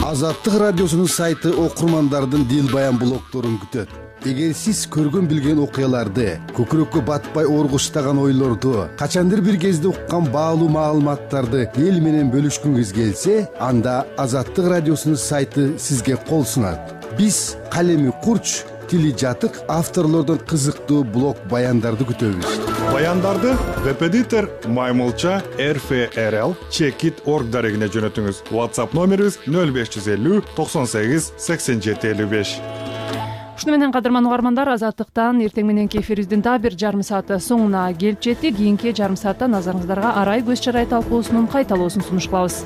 Азаттык радиосунун сайты окурмандардын дил баян блогдорун күтөт. Эгер сиз көргөн билген окуяларды, көкүрөккө батпай оргуштаган ойлорду, качандыр бир кезде уккан баалуу маалыматтарды эл менен бөлүшкүңүз келсе, анда Азаттык радиосунун сайты сизге кол сунат. Биз калеми курч, тили жатык авторлордон кызыктуу блог баяндарды күтөбүз. Баяндарды Repetitor, Маймылча, эр эф эр эл, Checkit орг дарегине жөнөтүңүз. WhatsApp номерибиз нөл беш жүз элүү токсон сегиз сексен жети элүү беш. Ушуну менен кадырман угармандар, Азаттыктан эртең мененки эфирибиздин дагы бир жарым сааты соңуна келип жетти. Кийинки жарым саатта назарыңыздарга арай көз чарай талкуусунун кайталоосун сунуш кылабыз.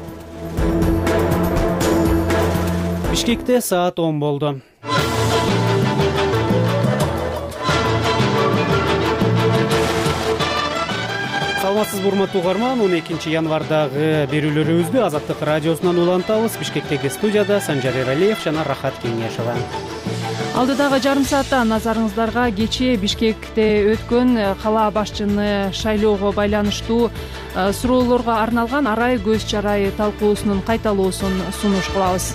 Бишкекте саат он болду. Саламатсызбы урматтуу угарман, он экинчи январдагы берүүлөрүбүздү Азаттык радиосунан улантабыз. Бишкектеги студияда Санжар Эралиев жана Рахат Кеңешова. Алдыдагы жарым саатта назарыңыздарга кечээ Бишкекте өткөн кала башчыны шайлоого байланыштуу суроолорго арналган арай көз чарай талкуусунун кайталоосун сунуш кылабыз.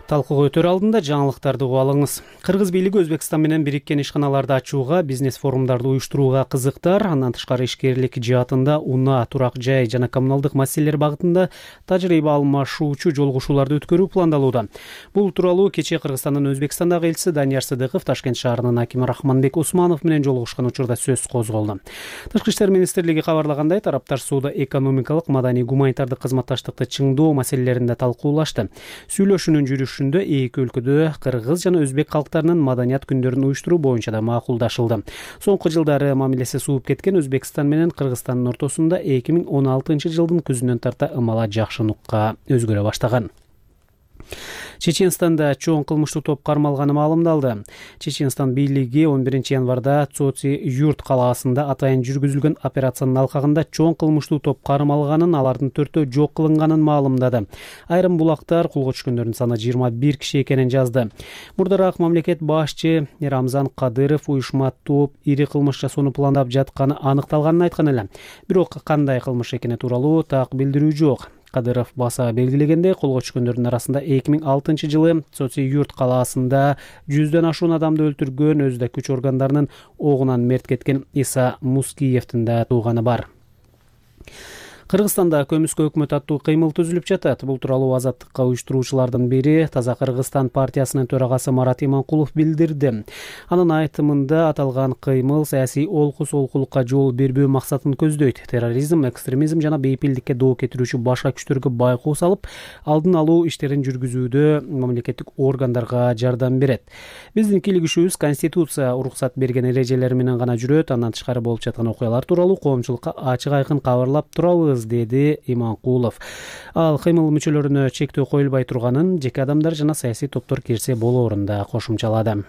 Талкууга өтөр алдында жаңылыктарды угуп алыңыз. Кыргыз бийлиги Өзбекстан менен бириккен ишканаларды ачууга, бизнес форумдарды уюштурууга кызыктар. Андан тышкары ишкерлик жаатында унаа, турак жай жана коммуналдык маселелер багытында тажрыйба алмашуучу жолугушууларды өткөрүү пландалууда. Бул тууралуу кечээ Кыргызстандын Өзбекстандагы элчиси Данияр Сыдыков Ташкент шаарынын акими Рахманбек Усманов менен жолугушкан учурда сөз козголду. Тышкы иштер министрлиги кабарлагандай, тараптар сууда экономикалык, маданий, гуманитардык кызматташтыкты чыңдоо маселелеринде талкуулашты. Сүйлөшүүнүн жүрүшү эки өлкөдө кыргыз жана өзбек калктарынын маданият күндөрүн уюштуруу боюнча да макулдашылды. Соңку жылдары мамилеси сууп кеткен Өзбекстан менен Кыргызстандын ортосунда эки миң он алтынчы жылдын күзүнөн тарта ымала жакшы нукка өзгөрө баштаган. Чеченстанда чоң кылмыштуу топ кармалганы маалымдалды. Чеченстан бийлиги он биринчи январда Цоци юрт калаасында атайын жүргүзүлгөн операциянын алкагында чоң кылмыштуу топ кармалганын, алардын төртөө жок кылынганын маалымдады. Айрым булактар колго түшкөндөрдүн саны жыйырма бир киши экенин жазды. Мурдараак мамлекет башчы Рамзан Кадыров уюшма топ ири кылмыш жасоону пландап жатканы аныкталганын айткан эле. Бирок кандай кылмыш экени тууралуу так билдирүү жок. Кадыров баса белгилегендей, колго түшкөндөрдүн арасында эки миң алтынчы жылы Соци юрт калаасында жүздөн ашуун адамды өлтүргөн, өзү күч органдарынын огунан мерт кеткен Иса Мускиевдин да тууганы бар. Кыргызстанда көмүскө өкмөт аттуу кыймыл түзүлүп жатат. Бул тууралуу Азаттыкка уюштуруучулардын бири Таза Кыргызстан партиясынын төрагасы Марат Иманкулов билдирди. Анын айтымында аталган кыймыл саясий олкус олкулукка жол бербөө максатын көздөйт. Терроризм, экстремизм жана бейпилдикке доо кетирүүчү башка күчтөргө байкоо салып, алдын алуу иштерин жүргүзүүдө мамлекеттик органдарга жардам берет. Биздин кийлигишүүбүз Конституция уруксат берген эрежелери менен гана жүрөт. Андан тышкары болуп жаткан окуялар тууралуу коомчулукка ачык айкын кабарлап турабыз, деди Иманкулов. Ал кыймыл мүчөлөрүнө чектөө коюлбай турганын, жеке адамдар жана саясий топтор кирсе болоорун да кошумчалады.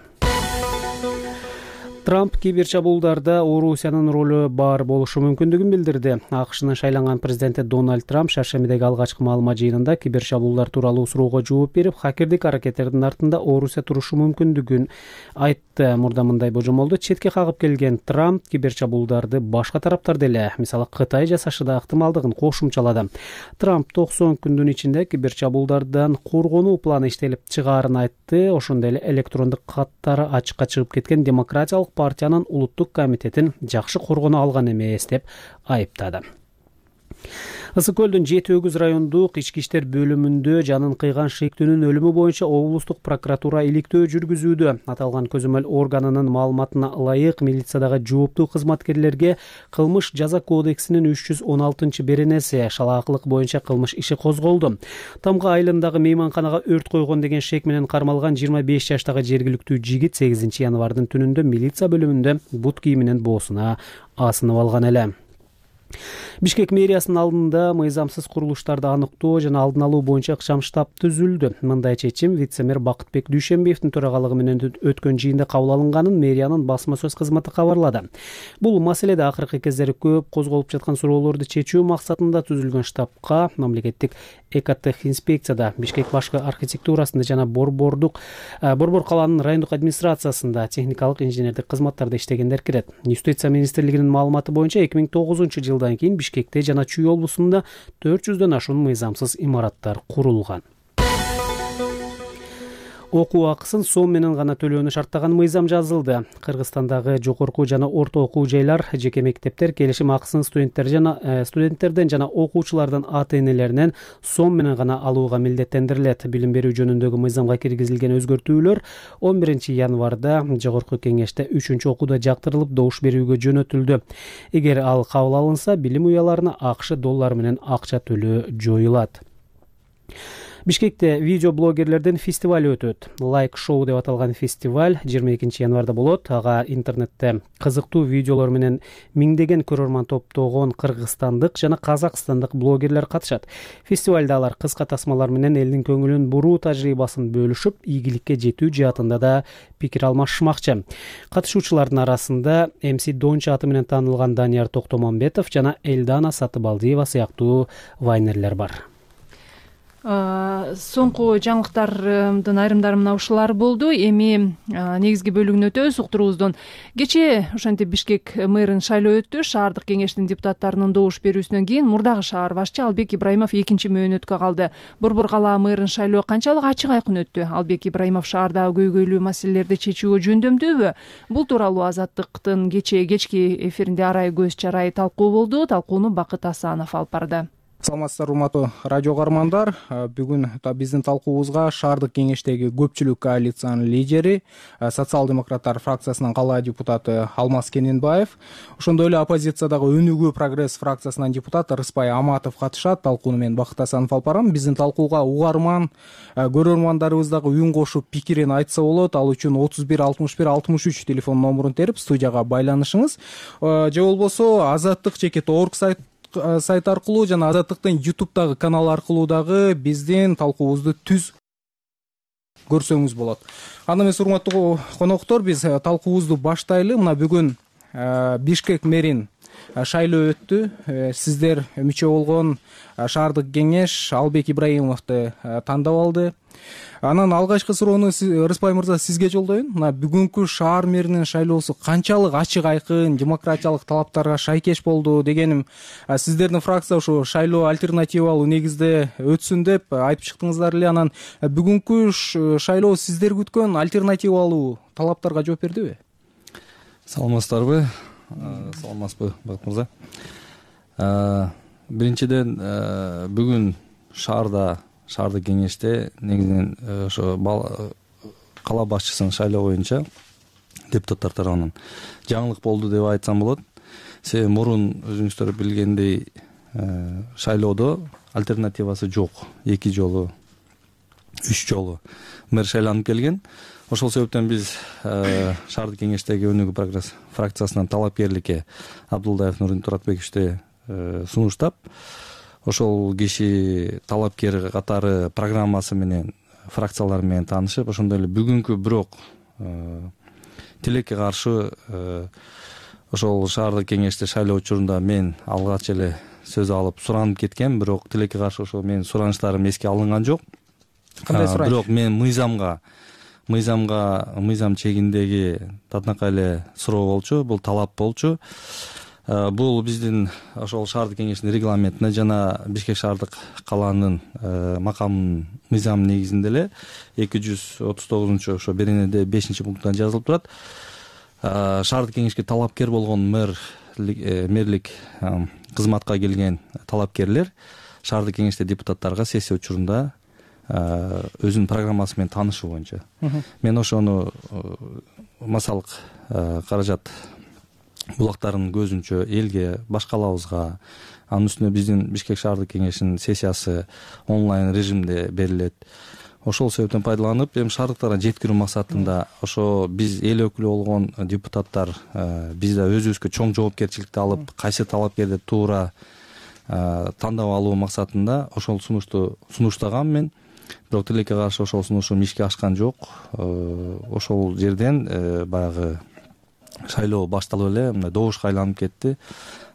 Трамп кибер чабуулдарда Орусиянын ролу бар болушу мүмкүндүгүн билдирди. АКШнын шайланган президенти Дональд Трамп шаршембидеги алгачкы маалымат жыйынында кибер чабуулдар тууралуу суроого жооп берип, хакердик аракеттердин артында Орусия турушу мүмкүндүгүн айтты. Мурда мындай божомолду четке кагып келген Трамп кибер чабуулдарды башка тараптар деле, мисалы Кытай жасашы да ыктымалдыгын кошумчалады. Трамп токсон күндүн ичинде кибер чабуулдардан коргонуу планы иштелип чыгаарын айтты. Ошондой эле электрондук каттары ачыкка чыгып кеткен демократиялык партиянын улуттук комитетин жакшы коргоно алган эмес деп айыптады. Ысык көлдүн жети өгүз райондук ички иштер бөлүмүндө жанын кыйган шектүүнүн өлүмү боюнча облустук прокуратура иликтөө жүргүзүүдө. Аталган көзөмөл органынын маалыматына ылайык, милициядагы жооптуу кызматкерлерге кылмыш жаза кодексинин үч жүз он алтынчы беренеси шалаакылык боюнча кылмыш иши козголду. Тамга айылындагы мейманканага өрт койгон деген шек менен кармалган жыйырма беш жаштагы жергиликтүү жигит сегизинчи январдын түнүндө милиция бөлүмүндө бут кийиминин боосуна асынып алган эле. Бишкек мэриясынын алдында мыйзамсыз курулуштарды аныктоо жана алдын алуу боюнча ыкчам штаб түзүлдү. Мындай чечим вице-мэр Бакытбек Дүйшөнбиевдин төрагалыгы менен өткөн жыйында кабыл алынганын мэриянын басма сөз кызматы кабарлады. Бул маселеде акыркы кездери көп козголуп жаткан суроолорду чечүү максатында түзүлгөн штабка мамлекеттик экотех инспекцияда, Бишкек башкы архитектурасында жана Борбордук Борбор калаанын райондук администрациясында техникалык инженердик кызматтарда иштегендер кирет. Юстиция министрлигинин маалыматы боюнча эки миң тогузунчу жылдан кийин Бишкекте жана Чүй облусунда төрт жүздөн ашуун мыйзамсыз имараттар курулган. Окуу акысын сом менен гана төлөөнү шарттаган мыйзам жазылды. Кыргызстандагы жогорку жана орто окуу жайлар, жеке мектептер келишим акысын студенттер жана э, студенттерден жана окуучулардан ата-энелеринен сом менен гана алууга милдеттендирилет. Билим берүү жөнүндөгү мыйзамга киргизилген өзгөртүүлөр он биринчи январда жогорку кеңеште үчүнчү окууда жактырылып добуш берүүгө жөнөтүлдү. Эгер ал кабыл алынса, билим уяларына акш доллары менен акча төлөө жоюлат. Бишкекте видео блогерлердин фестиваль өтөт. Лайк шоу деп аталган фестиваль жыйырма экинчи январда болот. Ага интернетте кызыктуу видеолор менен миңдеген көрөрман топтогон кыргызстандык жана казакстандык блогерлер катышат. Фестивалда алар кыска тасмалар менен элдин көңүлүн буруу тажрыйбасын бөлүшүп, ийгиликке жетүү жаатында да пикир алмашышмакчы. Катышуучулардын арасында эм си Дончу аты менен таанылган Данияр Токтомамбетов жана Элдана Сатыбалдиева сыяктуу вайнерлер бар. Соңку жаңылыктардын айрымдары мына ушулар болду. Эми негизги бөлүгүнө өтөбүз уктуруубуздун. Кечээ ошентип Бишкек мэрин шайлоо өттү. Шаардык кеңештин депутаттарынын добуш берүүсүнөн кийин мурдагы шаар башчы Албек Ибраимов экинчи мөөнөткө калды. Борбор калаа мэрин шайлоо канчалык ачык айкын өттү? Албек Ибраимов шаардагы көйгөйлүү маселелерди чечүүгө жөндөмдүүбү? Бул тууралуу Азаттыктын кечээ кечки эфиринде арай көз чарай талкуу болду. Талкууну Бакыт Асанов алып барды. Саламатсыздар, урматтуу радио каармандар. Бүгүн биздин талкуубузга шаардык кеңештеги көпчүлүк коалициянын лидери, социал-демократтар фракциясынын калаа депутаты Алмаз Кененбаев, ошондой эле оппозициядагы Өнүгүү прогресс фракциясынын депутаты Рыспай Аматов катышат. Талкууну мен Бакыт Асанов алып барам. Биздин талкууга угарман, көрөрмандарыбыз дагы үн кошуп пикирин айтса болот. Ал үчүн отуз бир алтымыш бир алтымыш үч телефон номурун терип студияга байланышыңыз. Же болбосо азаттык чекит орг сайт сайт аркылуу жана Азаттыктын ютубтагы канал аркылуу дагы биздин талкуубузду түз көрсөңүз болот. Анда эмес, урматтуу коноктор, биз талкуубузду баштайлы. Мына бүгүн Бишкек мэрин шайлоо өттү. Сиздер мүчө болгон шаардык кеңеш Албек Ибраимовду тандап алды. Анан алгачкы суроону Рыспай мырза сизге жолдоюн. Мына бүгүнкү шаар мэринин шайлоосу канчалык ачык айкын, демократиялык талаптарга шайкеш болду дегеним, сиздердин фракция ушу шайлоо альтернативалуу негизде өтсүн деп айтып чыктыңыздар эле. Анан бүгүнкү шайлоо сиздер күткөн альтернативалуу талаптарга жооп бердиби? Саламатсыздарбы? Саламатсызбы, Бакыт мырза? Биринчиден, бүгүн шаарда шаардык кеңеште негизинен ошо кала башчысын шайлоо боюнча депутаттар тарабынан жаңылык болду деп айтсам болот. Себеби мурун өзүңүздөр билгендей шайлоодо альтернативасы жок. Эки жолу, үч жолу мэр шайланып келген. Ошол себептен биз шаардык кеңештеги Өнүгүү прогресс фракциясынан талапкерликке Абдулдаев Нурин Туратбековичти сунуштап, ошол киши талапкер катары программасы менен фракциялар менен таанышып, ошондой эле бүгүнкү бирок тилекке каршы ошол шаардык кеңеште шайлоо учурунда мен алгач эле сөз алып суранып кеткем, бирок тилекке каршы ошол менин суранычтарым эске алынган жок. Кандай сураныч? Бирок мен мыйзамга мыйзамга мыйзам чегиндеги татынакай эле суроо болчу, бул талап болчу. Бул биздин ошол шаардык кеңештин регламентине жана Бишкек шаардык калаанын макамынын мыйзамы негизинде эле эки жүз отуз тогузунчу ошо беренеде бешинчи пункттан жазылып турат. Шаардык кеңешке талапкер болгон мэр мэрлик кызматка келген талапкерлер шаардык кеңеште депутаттарга сессия учурунда өзүнүн программасы менен таанышуу боюнча. Мен ошону массалык каражат булактарынын көзүнчө элге, башкалабызга, анын үстүнө биздин Бишкек шаардык кеңешинин сессиясы онлайн режимде берилет. Ошол себептен пайдаланып, эми шаардыктарга жеткирүү максатында ошо биз эл өкүлү болгон депутаттар биз да өзүбүзгө чоң жоопкерчиликти алып, кайсы талапкерди туура тандап алуу максатында ошол сунушту сунуштагам мен. Бирок тилекке каршы ошол сунушум ишке ашкан жок. Ошол жерден баягы шайлоо башталып эле мындай добушка айланып кетти.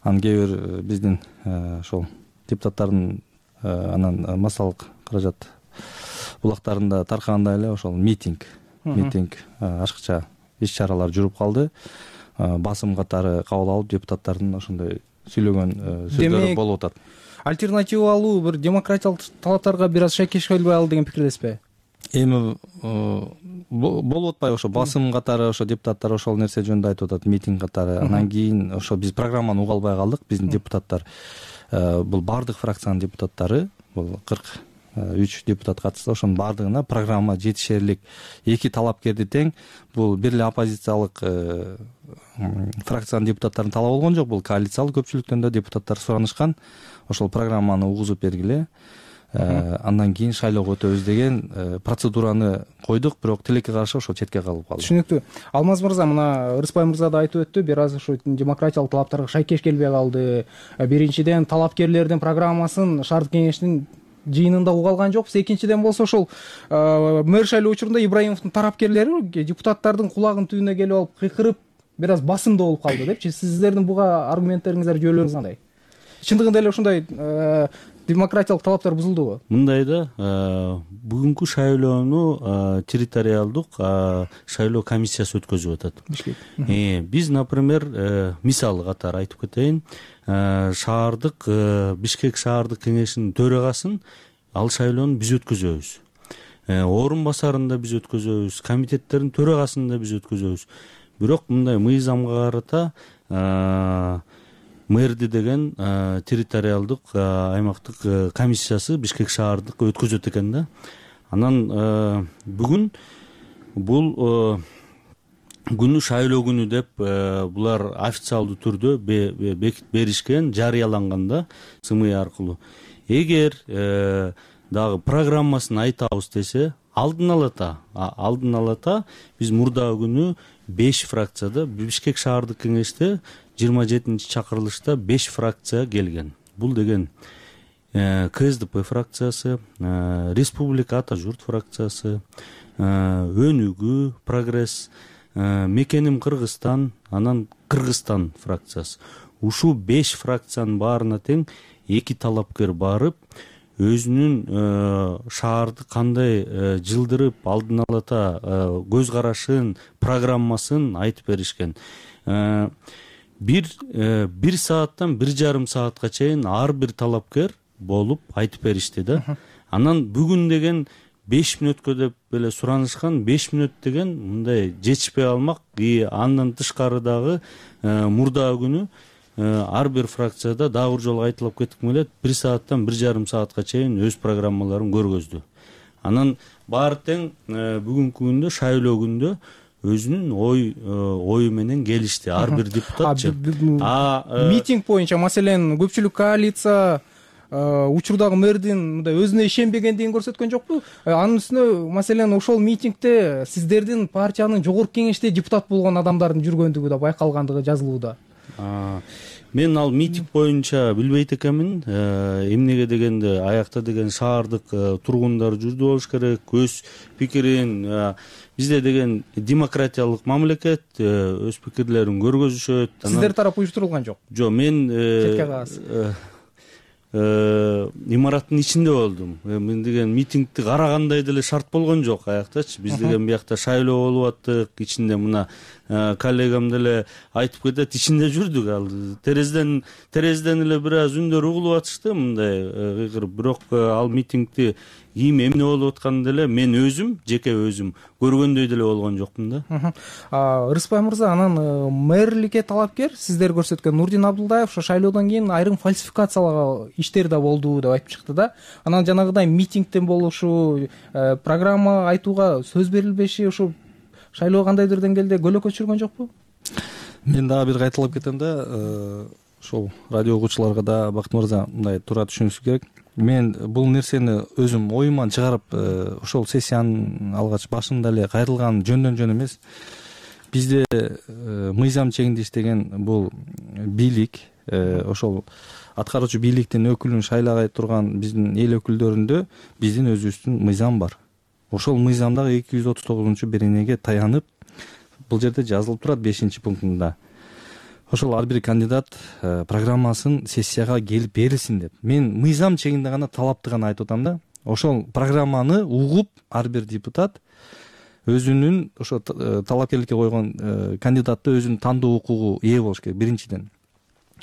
Анан кээ бир биздин ошол депутаттардын анан массалык каражат булактарында таркагандай эле ошол митинг, митинг ашыкча иш-чаралар жүрүп калды. Басым катары кабыл алып депутаттардын ошондой сүйлөгөн сөздөрү болуп атат. Альтернативалуу бир демократиялык талаптарга бир аз шайкеш келбей ал деген пикирдесизби? Эми болуп атпайбы ошо басым катары ошо депутаттар ошол нерсе жөнүндө айтып атат, митинг катары. Анан кийин ошо биз программаны уга албай калдык. Биздин депутаттар бул бардык фракциянын депутаттары, бул кырк үч депутат катышты. Ошонун бардыгына программа жетишерлик эки талапкерди тең. Бул бир эле оппозициялык фракциянын депутаттарын талап болгон жок. Бул коалициялык көпчүлүктөн да депутаттар суранышкан. Ошол программаны угузуп бергиле. андан кийин шайлоого өтөбүз деген процедураны койдук, бирок тилекке каршы ошол четке калып калды. Түшүнүктүү. Алмаз мырза, мына Рыспай мырза да айтып өттү, бир аз ушу демократиялык талаптарга шайкеш келбей калды. Биринчиден, талапкерлердин программасын шаардык кеңештин жыйынында уга алган жокпуз. Экинчиден болсо ошол мэр шайлоо учурунда Ибраимовдун тарапкерлери депутаттардын кулагынын түбүнө келип алып кыйкырып, бир аз басымдуу болуп калды депчи. Сиздердин буга аргументтериңиздер, жоолоруңуз кандай? Чындыгында эле ушундай демократиялык талаптар бузулдубу? Мындай да, бүгүнкү шайлоону территориалдык шайлоо комиссиясы өткөзүп атат. Биз, например, мисалы катары айтып кетейин, шаардык Бишкек шаардык кеңешинин төрагасын ал шайлоону биз өткөзөбүз. Орун басарын да биз өткөзөбүз, комитеттердин төрагасын да биз өткөзөбүз. Бирок мындай мыйзамга карата мэрди деген территориалдык аймактык комиссиясы Бишкек шаардык өткөзөт экен да. Анан бүгүн бул күнү шайлоо күнү деп булар официалдуу түрдө бекитип беришкен, жарыяланган да СМИ аркылуу. Эгер дагы программасын айтабыз десе, алдын алата, алдын алата биз мурдагы күнү беш фракцияда Бишкек шаардык кеңеште жыйырма жетинчи чакырылышта беш фракция келген. Бул деген КСДП фракциясы, Республика Ата журт фракциясы, Өнүгүү, Прогресс, Мекеним Кыргызстан, анан Кыргызстан фракциясы. Ушул беш фракциянын баарына тең эки талапкер барып, өзүнүн шаарды кандай жылдырып, алдын алата көз карашын, программасын айтып беришкен. Бир бир сааттан бир жарым саатка чейин ар бир талапкер болуп айтып беришти да. Анан бүгүн деген беш мүнөткө деп эле суранышкан, беш мүнөт деген мындай жетишпей алмак. И андан тышкары дагы мурдагы күнү ар бир фракцияда дагы бир жолу айтылып кетким келет, бир сааттан бир жарым саатка чейин өз программаларын көргөздү. Анан баары тең бүгүнкү күндө, шайлоо күндө өзүнүн ой ою менен келишти ар бир депутатчы. Митинг боюнча, маселен, көпчүлүк коалиция учурдагы мэрдин мындай өзүнө ишенбегендигин көрсөткөн жокпу? Анын үстүнө, маселен, ошол митингде сиздердин партиянын жогорку кеңеште депутат болгон адамдардын жүргөндүгү да байкалгандыгы жазылууда. Мен ал митинг боюнча билбейт экенмин. Эмнеге дегенде, аякта деген шаардык тургундар жүрдү болуш керек, өз пикирин, бизде деген демократиялык мамлекет, өз пикирлерин көргөзүшөт. Сиздер тарап уюштурулган жок? Жок, мен имараттын ичинде болдум. Мен деген митингди карагандай деле шарт болгон жок аяктачы. Биз деген биякта шайлоо болуп аттык, ичинде мына коллегам деле айтып кетет, ичинде жүрдүк. Ал терезеден терезеден эле бир аз үндөр угулуп атышты, мындай кыйкырып. Бирок ал митингди ким эмне болуп атканын деле мен өзүм, жеке өзүм көргөндөй деле болгон жокмун да. Рыспай мырза, анан мэрликке талапкер сиздер көрсөткөн Нурдин Абдулдаев ошо шайлоодон кийин айрым фальсификациялоо иштер да болду деп айтып чыкты да. Анан жанагыдай митингден болушу, программа айтууга сөз берилбеши ошо шайлоо кандайдыр деңгээлде көйлөккө түшүргөн жокпу? Мен дагы бир кайталап кетем да, ошол радио угуучуларга да Бакыт мырза мындай туура түшүнүшү керек. Мен бул нерсени өзүм оюман чыгарып, ошол сессиянын алгач башында эле кайрылган жөндөн жөн эмес. Бизде мыйзам чегинде иштеген бул бийлик, ошол аткаруучу бийликтин өкүлүн шайлагай турган биздин эл өкүлдөрүндө биздин өзүбүздүн мыйзам бар. Ошол мыйзамдагы эки жүз отуз тогузунчу беренеге таянып, бул жерде жазылып турат бешинчи пунктунда. Ошол ар бир кандидат программасын сессияга келип берилсин деп. Мен мыйзам чегинде гана талапты гана айтып атам да. Ошол программаны угуп ар бир депутат өзүнүн ошо талапкерликке койгон кандидатты өзүнүн тандоо укугу ээ болуш керек биринчиден.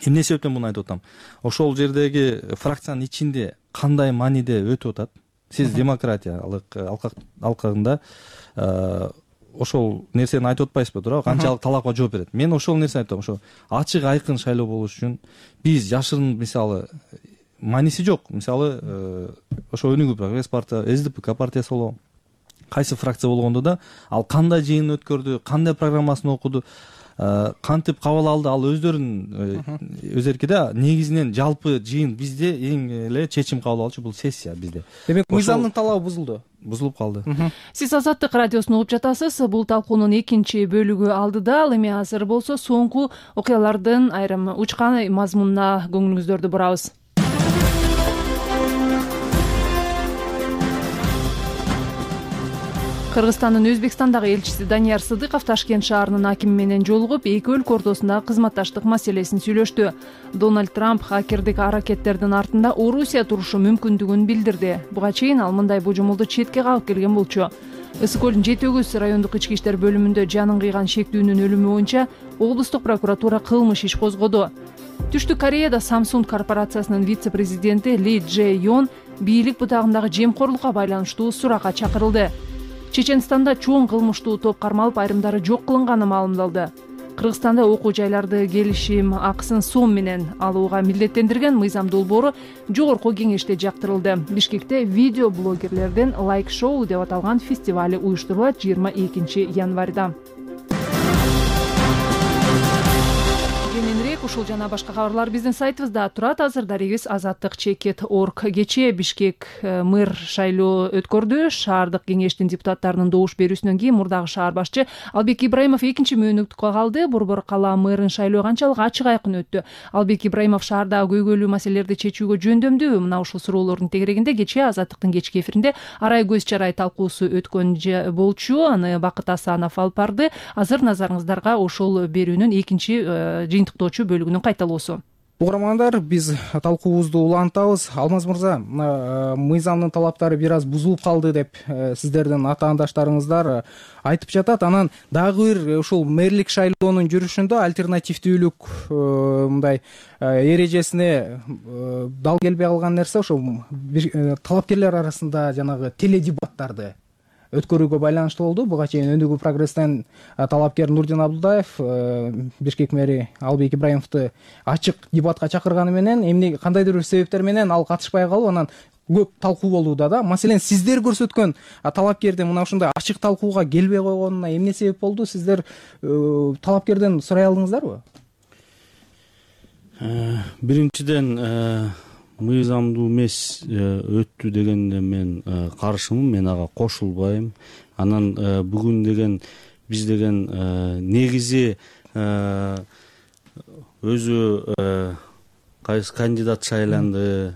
Эмне себептен муну айтып атам? Ошол жердеги фракциянын ичинде кандай мааниде өтүп атат? Сиз демократиялык алкагында ошол нерсени айтып атпайсызбы, туура? Канчалык талапка жооп берет. Мен ошол нерсени айтам. Ошо ачык айкын шайлоо болуш үчүн биз жашырын, мисалы, мааниси жок. Мисалы, ошо Өнүгүү Прогресс партия, СДПК партиясы болобу, кайсы фракция болгондо да ал кандай жыйын өткөрдү, кандай программасын окуду, кантип кабыл алды ал өздөрүнүн өз эркиде. Негизинен жалпы жыйын бизде эң эле чечим кабыл алуучу бул сессия бизде. Демек мыйзамдын талабы бузулду. Бузулуп калды. Сиз Азаттык радиосун угуп жатасыз. Бул талкуунун экинчи бөлүгү алдыда. Ал эми азыр болсо соңку окуялардын айрым учкан мазмунуна көңүлүңүздөрдү бурабыз. Кыргызстандын Өзбекстандагы элчиси Данияр Сыдыков Ташкент шаарынын акими менен жолугуп, эки өлкө ортосундагы кызматташтык маселесин сүйлөштү. Дональд Трамп хакердик аракеттердин артында Орусия турушу мүмкүндүгүн билдирди. Буга чейин ал мындай божомолду четке кагып келген болчу. Ысык көлдүн Жети Өгүз райондук ички иштер бөлүмүндө жанын кыйган шектүүнүн өлүмү боюнча облустук прокуратура кылмыш иш козгоду. Түштүк Кореяда Samsung корпорациясынын вице-президенти Ли Дже Йон бийлик бутагындагы жемкорлукка байланыштуу суракка чакырылды. Чеченстанда чоң кылмыштуу топ кармалып, айрымдары жок кылынганы маалымдалды. Кыргызстанда окуу жайларды келишим акысын сом менен алууга милдеттендирген мыйзам долбоору жогорку кеңеште жактырылды. Бишкекте видео блогерлерден лайк шоу деп аталган фестиваль уюштурулат жыйырма экинчи январда. Ушул жана башка кабарлар биздин сайтыбызда турат. Азыр дарегиз азаттык чекит точка орг. Кечээ Бишкек мэр шайлоо өткөрдү. Шаардык кеңештин депутаттарынын добуш берүүсүнөн кийин мурдагы шаар башчы Албек Ибраимов экинчи мөөнөткө калды. Борбор кала мэрин шайлоо канчалык ачык айкын өттү. Албек Ибраимов шаардагы көйгөйлүү маселелерди чечүүгө жөндөмдүү? Мына ушул суроолордун тегерегинде кечээ Азаттыктын кечки эфиринде арай көз чарай талкуусу өткөн болчу. Аны Бакыт Асанов алып барды. Азыр назарыңыздарга ошол берүүнүн экинчи жыйынтыктоочу бөлүгүнүн кайталоосу. Угармандар, биз талкуубузду улантабыз. Алмаз мырза, мыйзамдын талаптары бир аз бузулуп калды деп сиздердин атаандаштарыңыздар айтып жатат. Анан дагы бир ушул мэрлик шайлоонун жүрүшүндө альтернативдүүлүк мындай эрежесине дал келбей калган нерсе ошол талапкерлер арасында жанагы теледебаттарды өткөрүүгө байланыштуу болду. Буга чейин Өндүгү прогресстен талапкер Нурдин Абдулдаев Бишкек мэри Албек Ибраимовду ачык дебатка чакырганы менен эмне кандайдыр бир себептер менен ал катышпай калып, анан көп талкуу болууда да. Маселен, сиздер көрсөткөн талапкердин мына ушундай ачык талкууга келбей койгонуна эмне себеп болду? Сиздер талапкерден сурай алдыңыздарбы? Биринчиден, мыйзамдуу эмес өттү дегенде мен каршымын, мен ага кошулбайм. Анан бүгүн деген биз деген негизи өзү кайсы кандидат шайланды,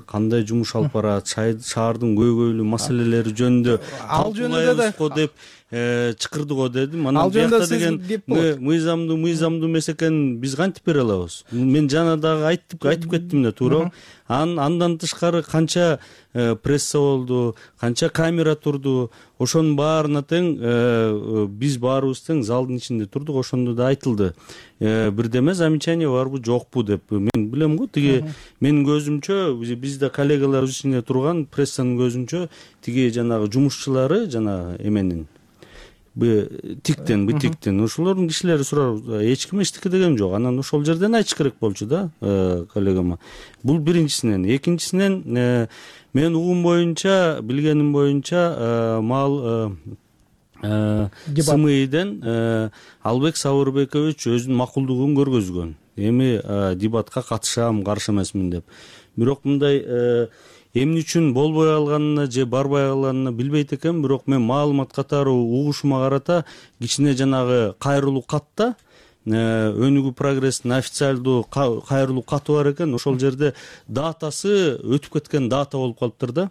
кандай жумуш алып барат, шаардын көйгөйлүү маселелери жөнүндө ал жөнүндө да деп чакырды го дедим. Анан бuyakta деген мыйзамдуу мыйзамдуу эмес экенин биз кантип бере алабыз? Мен жана дагы айтып айтып кеттим да, туура. Андан тышкары канча пресса болду, канча камера турду, ошонун баарына тең биз баарыбыз тең залдын ичинде турдук, ошондо да айтылды. Бирдеме замечание барбы, жокпу деп. Мен билем го, тиги менин көзүмчө, бизде коллегалар ичинде турган прессанын көзүнчө тиги жанагы жумушчулары жана эменин тиктен битиктен ошолордун кишилери сурар, эч ким эчтеке деген жок. Анан ошол жерден айтыш керек болчу да коллегама. Бул биринчисинен. Экинчисинен, мен угум боюнча, билгеним боюнча, мал СМИден Албек Сабырбекович өзүнүн макулдугун көргөзгөн. Эми дебатка катышам, каршы эмесмин деп. Бирок мындай эмне үчүн болбой калганына же барбай калганына билбейт экен, бирок мен маалымат катары угушума карата кичине жанагы кайрылуу катта Өнүгүү прогресстин официалдуу кайрылуу каты бар экен. Ошол жерде датасы өтүп кеткен дата болуп калыптыр да.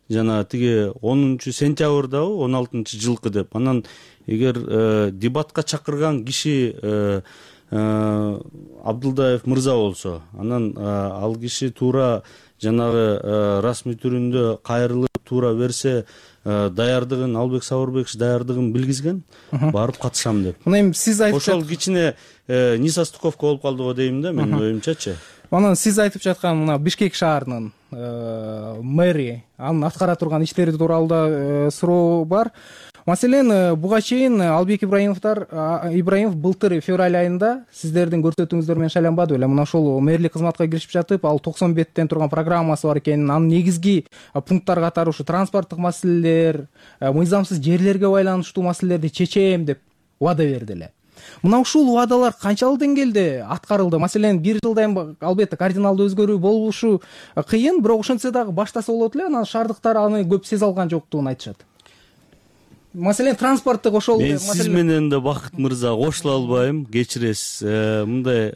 Жана тиги онунчу сентябрдабы, он алтынчы жылкы деп. Анан эгер дебатка чакырган киши Абдулдаев мырза болсо, анан ал киши туура жанагы расмий түрүндө кайрылып туура берсе, даярдыгын Албек Сабырбекович даярдыгын билгизген, барып катышам деп. Мына эми сиз айтып ошол кичине несостыковка болуп калды го дейм да, менин оюмчачы. Анан сиз айтып жаткан мына Бишкек шаарынын мэри, анын аткара турган иштери тууралуу да суроо бар. Маселен, буга чейин Албек Ибраимовдор Ибраимов былтыр февраль айында сиздердин көрсөтүүңүздөр менен шайланбады беле? Мына ошол мэрлик кызматка киришип жатып, ал токсон беттен турган программасы бар экенин, анын негизги пункттар катары ушу транспорттук маселелер, мыйзамсыз жерлерге байланыштуу маселелерди чечем деп убада берди эле. мына ушул убадалар канчалык деңгээлде аткарылды? Маселен, бир жылдан албетте кардиналдуу өзгөрүү болушу кыйын, бирок ошентсе дагы баштаса болот эле. Анан шаардыктар аны көп сезе алган жоктугун айтышат. Маселен, транспорттук ошол мен сиз менен да Бакыт мырза кошула албайм, кечиресиз. Мындай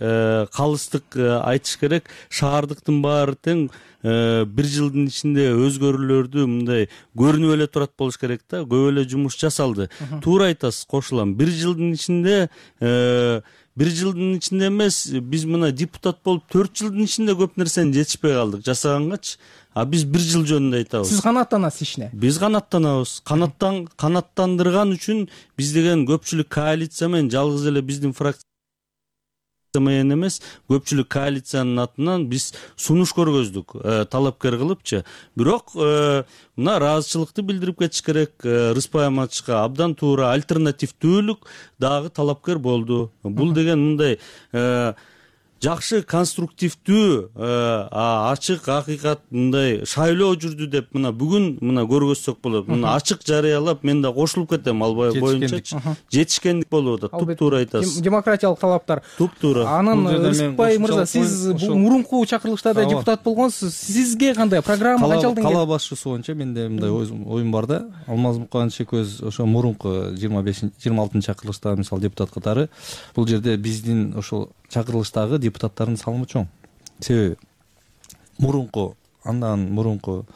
калыстык айтыш керек. Шаардыктын баары тең бир жылдын ичинде өзгөрүүлөрдү мындай көрүнүп эле турат болуш керек да. Көп эле жумуш жасалды. Туура айтасыз, кошулам. Бир жылдын ичинде бир жылдын ичинде эмес, биз мына депутат болуп төрт жылдын ичинде көп нерсени жетишпей калдык жасагангач. А биз бир жыл жөнүндө айтабыз. Сиз канааттанасыз ишине? Биз канааттанабыз. Канаттан канааттандырган үчүн биз деген көпчүлүк коалиция менен жалгыз эле биздин фракция менен эмес, көпчүлүк коалициянын атынан биз сунуш көргөздүк, талапкер кылыпчы. Бирок мына ыраазычылыкты билдирип кетиш керек. Рыспай Аматовичка абдан туура альтернативдүүлүк дагы талапкер болду. Бул деген мындай жакшы, конструктивдүү, ачык, акыйкат мындай шайлоо жүрдү деп мына бүгүн мына көргөзсөк болот. Мына ачык жарыялап мен да кошулуп кетем ал боюнча. Жетишкендик болуп атат. Туп туура айтасыз. Демократиялык талаптар. Туп туура. Анан Рыспай мырза, сиз бул мурунку чакырылыштарда депутат болгонсуз. Сизге кандай программа качалды? Кала башчысы боюнча менде мындай оюм бар да. Алмаз Муканович экөөбүз ошо мурунку жыйырма бешинчи жыйырма алтынчы чакырылышта мисалы депутат катары бул жерде биздин ошол чакырылыштагы депутаттардын салымы чоң. Себеби мурунку андан мурунку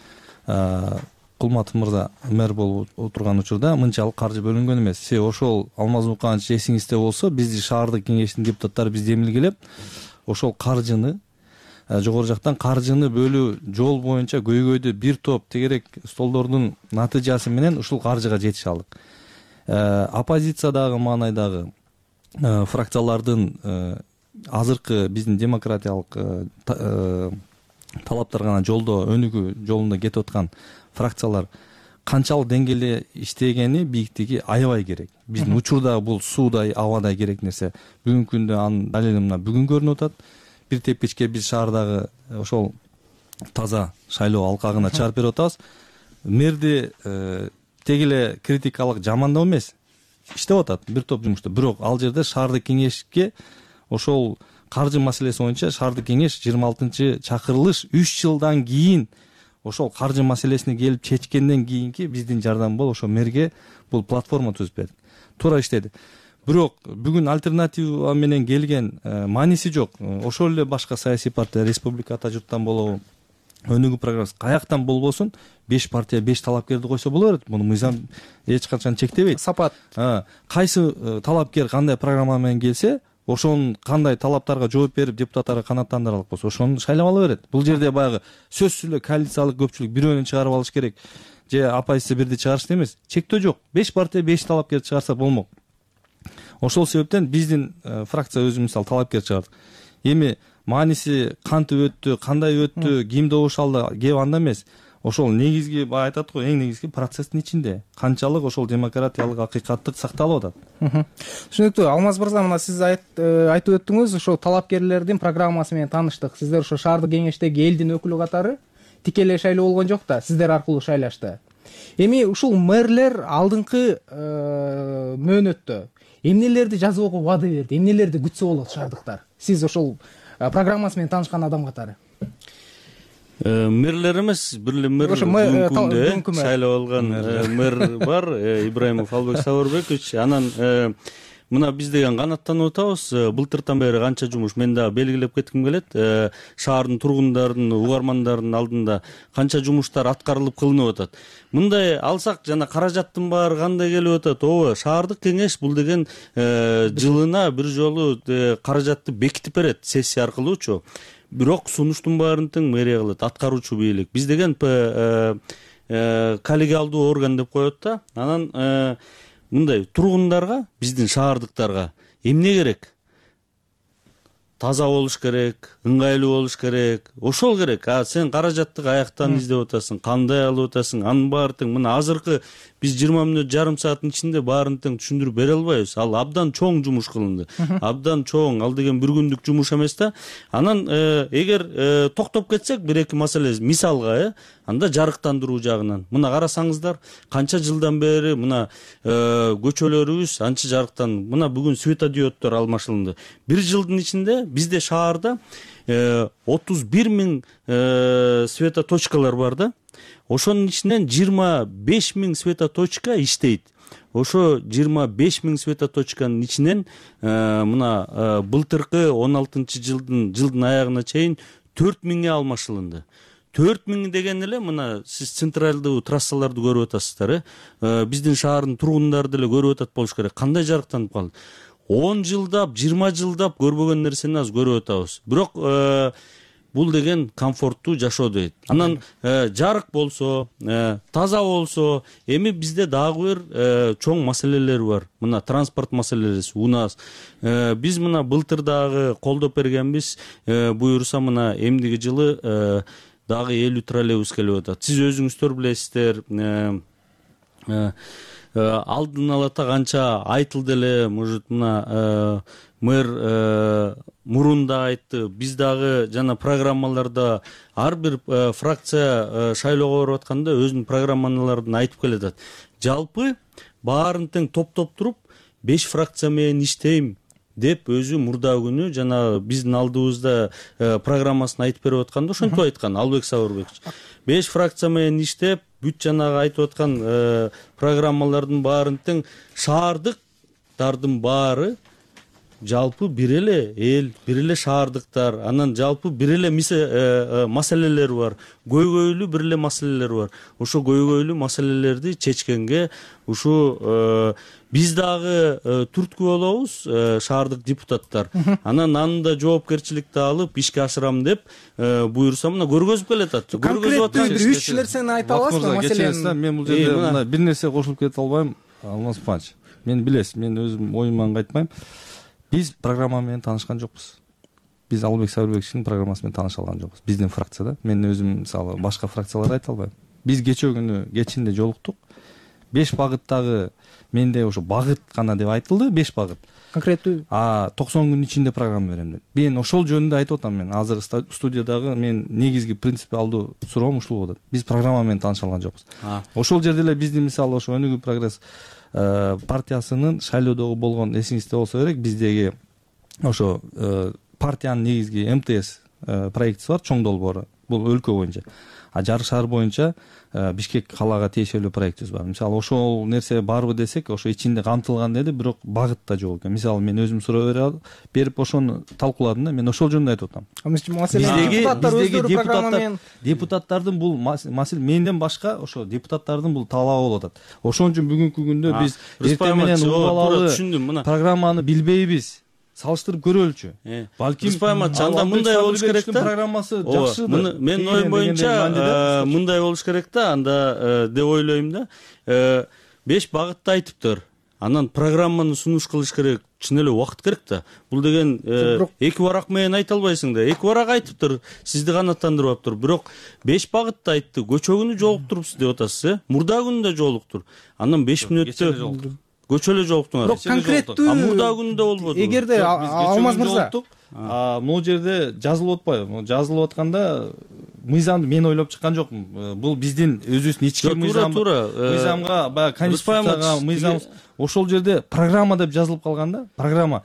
Кулматов мырза мэр болуп отурган учурда мынчалык каржы бөлүнгөн эмес. Себеби ошол Алмаз Муканович эсиңизде болсо, биздин шаардык кеңештин депутаттары бизди эмилгелеп, ошол каржыны жогору жактан каржыны бөлүү жол боюнча көйгөйдү бир топ тегерек столдордун натыйжасы менен ушул каржыга жетише алдык. Оппозициядагы маанайдагы фракциялардын азыркы биздин демократиялык талаптар гана жолдо өнүгүү жолунда кетип аткан фракциялар канчалык деңгээлде иштегени, бийиктиги аябай керек. Биздин учурда бул суудай, абадай керек нерсе. Бүгүнкү күндө анын далили мына бүгүн көрүнүп атат. Бир тепкичке биз шаардагы ошол таза шайлоо алкагына чыгарып берип атабыз. Мэрди тег эле критикалык жамандоо эмес, иштеп атат бир топ жумушту. Бирок ал жерде шаардык кеңешке ошол каржы маселеси боюнча шаардык кеңеш жыйырма алтынчы чакырылыш үч жылдан кийин ошол каржы маселесин келип чечкенден кийинки биздин жардам болуп ошо мэрге бул платформа түзүп берди. Туура иштеди. Бирок бүгүн альтернатива менен келген мааниси жок. Ошол эле башка саясий партия, республика ата журттан болобу, өнүгүү программасы каяктан болбосун беш партия беш талапкерди койсо боло берет. Муну мыйзам эч качан чектебейт. Сапат. Кайсы талапкер кандай программа менен келсе, ошонун кандай талаптарга жооп берип депутаттарга канааттандыралык болсо, ошону шайлап ала берет. Бул жерде баягы сөзсүз эле коалициялык көпчүлүк бирөөнү чыгарып алыш керек же оппозиция бирди чыгарышты эмес. Чектөө жок. беш партия беш талапкер чыгарса болмок. Ошол себептен биздин фракция өзү мисалы талапкер чыгардык. Эми мааниси кантип өттү, кандай өттү, ким добуш алды, кеп анда эмес. Ошол негизги баа айтат го, эң негизги процесстин ичинде канчалык ошол демократиялык акыйкаттык сакталып атат. Түшүнүктүү. Алмаз мырза, мына сиз айтып өттүңүз, ошол талапкерлердин программасы менен тааныштык. Сиздер ошо шаардык кеңештеги элдин өкүлү катары тикелей шайлоо болгон жок да, сиздер аркылуу шайлашты. Эми ушул мэрлер алдыңкы мөөнөттө эмнелерди жазууга убада берди, эмнелерди күтсө болот шаардыктар? Сиз ошол программасы менен таанышкан адам катары. Мэрлер эмес, бир эле мэр бүгүнкү шайлап алган мэр бар, Ибраимов Албек Сабырбекович. Анан мына биз деген канааттанып атабыз. Былтыртан бери канча жумуш мен дагы белгилеп кетким келет. Шаардын тургундарын, угармандардын алдында канча жумуштар аткарылып кылынып атат. Мындай алсак жана каражаттын баары кандай келип атат? Ооба, шаардык кеңеш бул деген жылына бир жолу каражатты бекитип берет сессия аркылуучу. Бирок сунуштун баарын тең мэрия кылат, аткаруучу бийлик. Биз деген коллегиалдуу орган деп коет да. Анан мындай тургундарга, биздин шаардыктарга эмне керек? таза болуш керек, ыңгайлуу болуш керек, ошол керек. А сен каражатты каяктан издеп атасың, кандай алып атасың, анын баары тең. Мына азыркы биз жыйырма мүнөт жарым сааттын ичинде баарын тең түшүндүрүп бере албайбыз. Ал абдан чоң жумуш кылынды. Абдан чоң. Ал деген бир күндүк жумуш эмес да. Анан эгер токтоп кетсек бир эки маселе, мисалга, э, анда жарыктандыруу жагынан. Мына карасаңыздар, канча жылдан бери мына көчөлөрүбүз анча жарыктан. Мына бүгүн светодиоддор алмашылынды. Бир жылдын ичинде бизде шаарда отуз бир миң светоточкалар бар да. Ошонун ичинен жыйырма беш миң светоточка иштейт. Ошо жыйырма беш миң светоточканын ичинен мына былтыркы он алтынчы жылдын жылдын аягына чейин төрт миңге алмашылынды. төрт миң деген эле мына сиз централдуу трассаларды көрүп атасыздар, э. Биздин шаардын тургундары деле көрүп атат болуш керек. Кандай жарыктанып калды? он жылдап, жыйырма жылдап көрбөгөн нерсени азыр көрүп атабыз. Бирок бул деген комфорттуу жашоо дейт. Анан жарык болсо, таза болсо, эми бизде дагы бир чоң маселелер бар. Мына транспорт маселеси, УНАС. Биз мына былтыр дагы колдоп бергенбиз, буюрса мына эмдиги жылы дагы элүү троллейбус келип атат. Сиз өзүңүздөр билесиздер, алдын алата канча айтылды эле, может мына мэр мурунда айтты, биз дагы жана программаларда ар бир фракция шайлоого барып атканда өзүнүн программаларын айтып келатат. Жалпы баарын тең топтоп туруп беш фракция менен иштейм деп өзү мурда күнү жана биздин алдыбызда программасын айтып берип атканда ошентип айткан Албек Сабырбекович. беш фракция менен иштеп, бүт жанагы айтып аткан программалардын баарын тең шаардыктардын баары жалпы бир эле эл, бир эле шаардыктар, анан жалпы бир эле маселелер бар. Көйгөйлүү бир эле маселелер бар. Ошо көйгөйлүү маселелерди чечкенге ушу биз дагы түрткү болобуз, шаардык депутаттар. Анан аны да жоопкерчиликти алып ишке ашырам деп буюрса мына көргөзүп келатат. Көргөзүп аткан үч нерсени айта аласызбы? Маселен, мен бул жерде мына бир нерсе кошулуп кете албайм, Алмаз Панч. Мен билесиз, мен өзүм оюман кайтпайм. Биз программа менен таанышкан жокпуз. Биз Албек Сабырбековичтин программасы менен тааныша алган жокпуз. Биздин фракцияда. Мен өзүм мисалы башка фракцияларды айта албайм. Биз кечээ күнү кечинде жолуктук. беш багыттагы менде ошо багыт гана деп айтылды, беш багыт. Конкреттүү. А токсон күн ичинде программа берем деп. Мен ошол жөнүндө айтып атам мен. Азыр студиядагы мен негизги принципиалдуу суроом ушул болот. Биз программа менен тааныша алган жокпуз. Ошол жерде эле биздин мисалы ошо Өнүгүү прогресс партиясынын шайлоодогу болгон эсиңизде болсо керек, биздеги ошо партиянын негизги эм тэ эс проектиси бар, чоң долбоору. Бул өлкө боюнча. А жарык шаар боюнча Бишкек калаага тиешелүү проектибиз бар. Мисалы ошол нерсе барбы десек, ошо ичинде камтылган деди, бирок багытта жок экен. Мисалы мен өзүм суроо берип ошону талкууладым да, мен ошол жөнүндө айтып атам. Биздеги депутаттар депутаттардын бул маселе менден башка ошо депутаттардын бул талабы болуп атат. Ошон үчүн бүгүнкү күндө биз эртең менен убалалы программаны билбейбиз. Салыштырып көрөлүчү. Балким анда мындай болуш керек да. Программасы жакшыдыр. Мен оюм боюнча мындай болуш керек да, анда деп ойлойм да. беш багытты айтыптыр. Анан программаны сунуш кылыш керек, чын эле убакыт керек да. Бул деген эки барак менен айта албайсың да. Эки барак айтыптыр, сизди канааттандырбаптыр. Бирок беш багытты айтты. Көчө күнү жолуктурупсуз деп атасыз, э? Мурда күнү да жолуктур. Анан беш мүнөттө көчө эле жолуктуңар. Бирок конкреттүү а мурда күндө болбоду. Эгерде Алмаз мырза, а могул жерде жазылып атпайбы? Жазылып атканда мыйзамды мен ойлоп чыккан жокмун. Бул биздин өзүбүздүн ички мыйзам. Мыйзамга баягы конституцияга мыйзам ошол жерде программа деп жазылып калган да. Программа.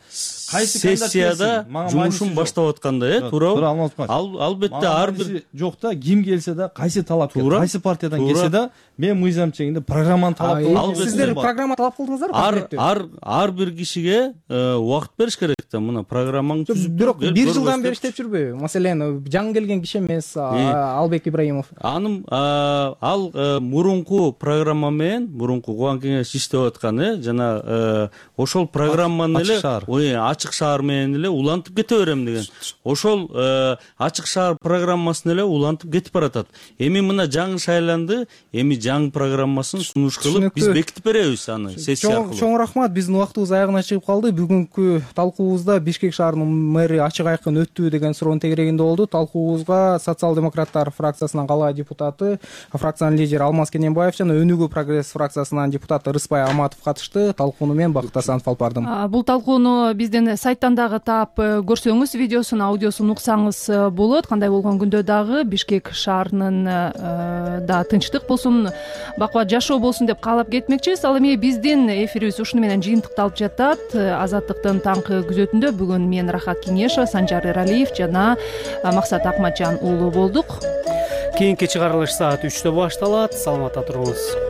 Кайсы сессияда жумушун баштап атканда, э, туурабы? Албетте ар бир жокта ким келсе да, кайсы талапкер, кайсы партиядан келсе да, мен мыйзам чегинде программаны талап кылам. Сиздер программа талап кылдыңыздарбы? Ар ар ар бир кишиге убакыт бериш керек да. Мына программаңды түзүп, бирок бир жылдан бери иштеп жүрбөйбү? Маселен, жаңы келген киши эмес, албек ибраимов. Анын ал мурунку программа менен мурунку Кубан кеңеш иштеп аткан э жана ошол программаны эле ачык шаар менен эле улантып кете берем деген. Ошол ачык шаар программасын эле улантып кетип баратат. Эми мына жаңы шайланды, эми жаңы программасын сунуш кылып биз бекитип беребиз аны сессия аркылуу. Чоң рахмат, биздин убактыбыз аягына чыгып калды. Бүгүнкү талкуубузда Бишкек шаарынын мэри ачык айкын өттү деген суроонун тегерегинде болду. Талкуубузга социал-демократтар фракциясынын кала депутаты, фракциянын лидери Алмаз Кененбаев жана Өнүгүү прогресс фракциясынын депутаты Рыспай Аматов катышты. Талкууну мен Бакыт Асанов алып бардым. Бул талкууну биздин сайттан дагы таап көрсөңүз, видеосун, аудиосун уксаңыз болот. Кандай болгон күндө дагы Бишкек шаарынын да тынчтык болсун, бакубат жашоо болсун деп каалап кетмекчибиз. Ал эми биздин эфирибиз ушуну менен жыйынтыкталып жатат. Азаттыктын таңкы күзөтүндө бүгүн мен Рахат Кеңешова, Санжар Эралиев жана Максат Акматжан уулу болдук. Кийинки чыгарылыш саат үчтө башталат. Саламатта туруңуз.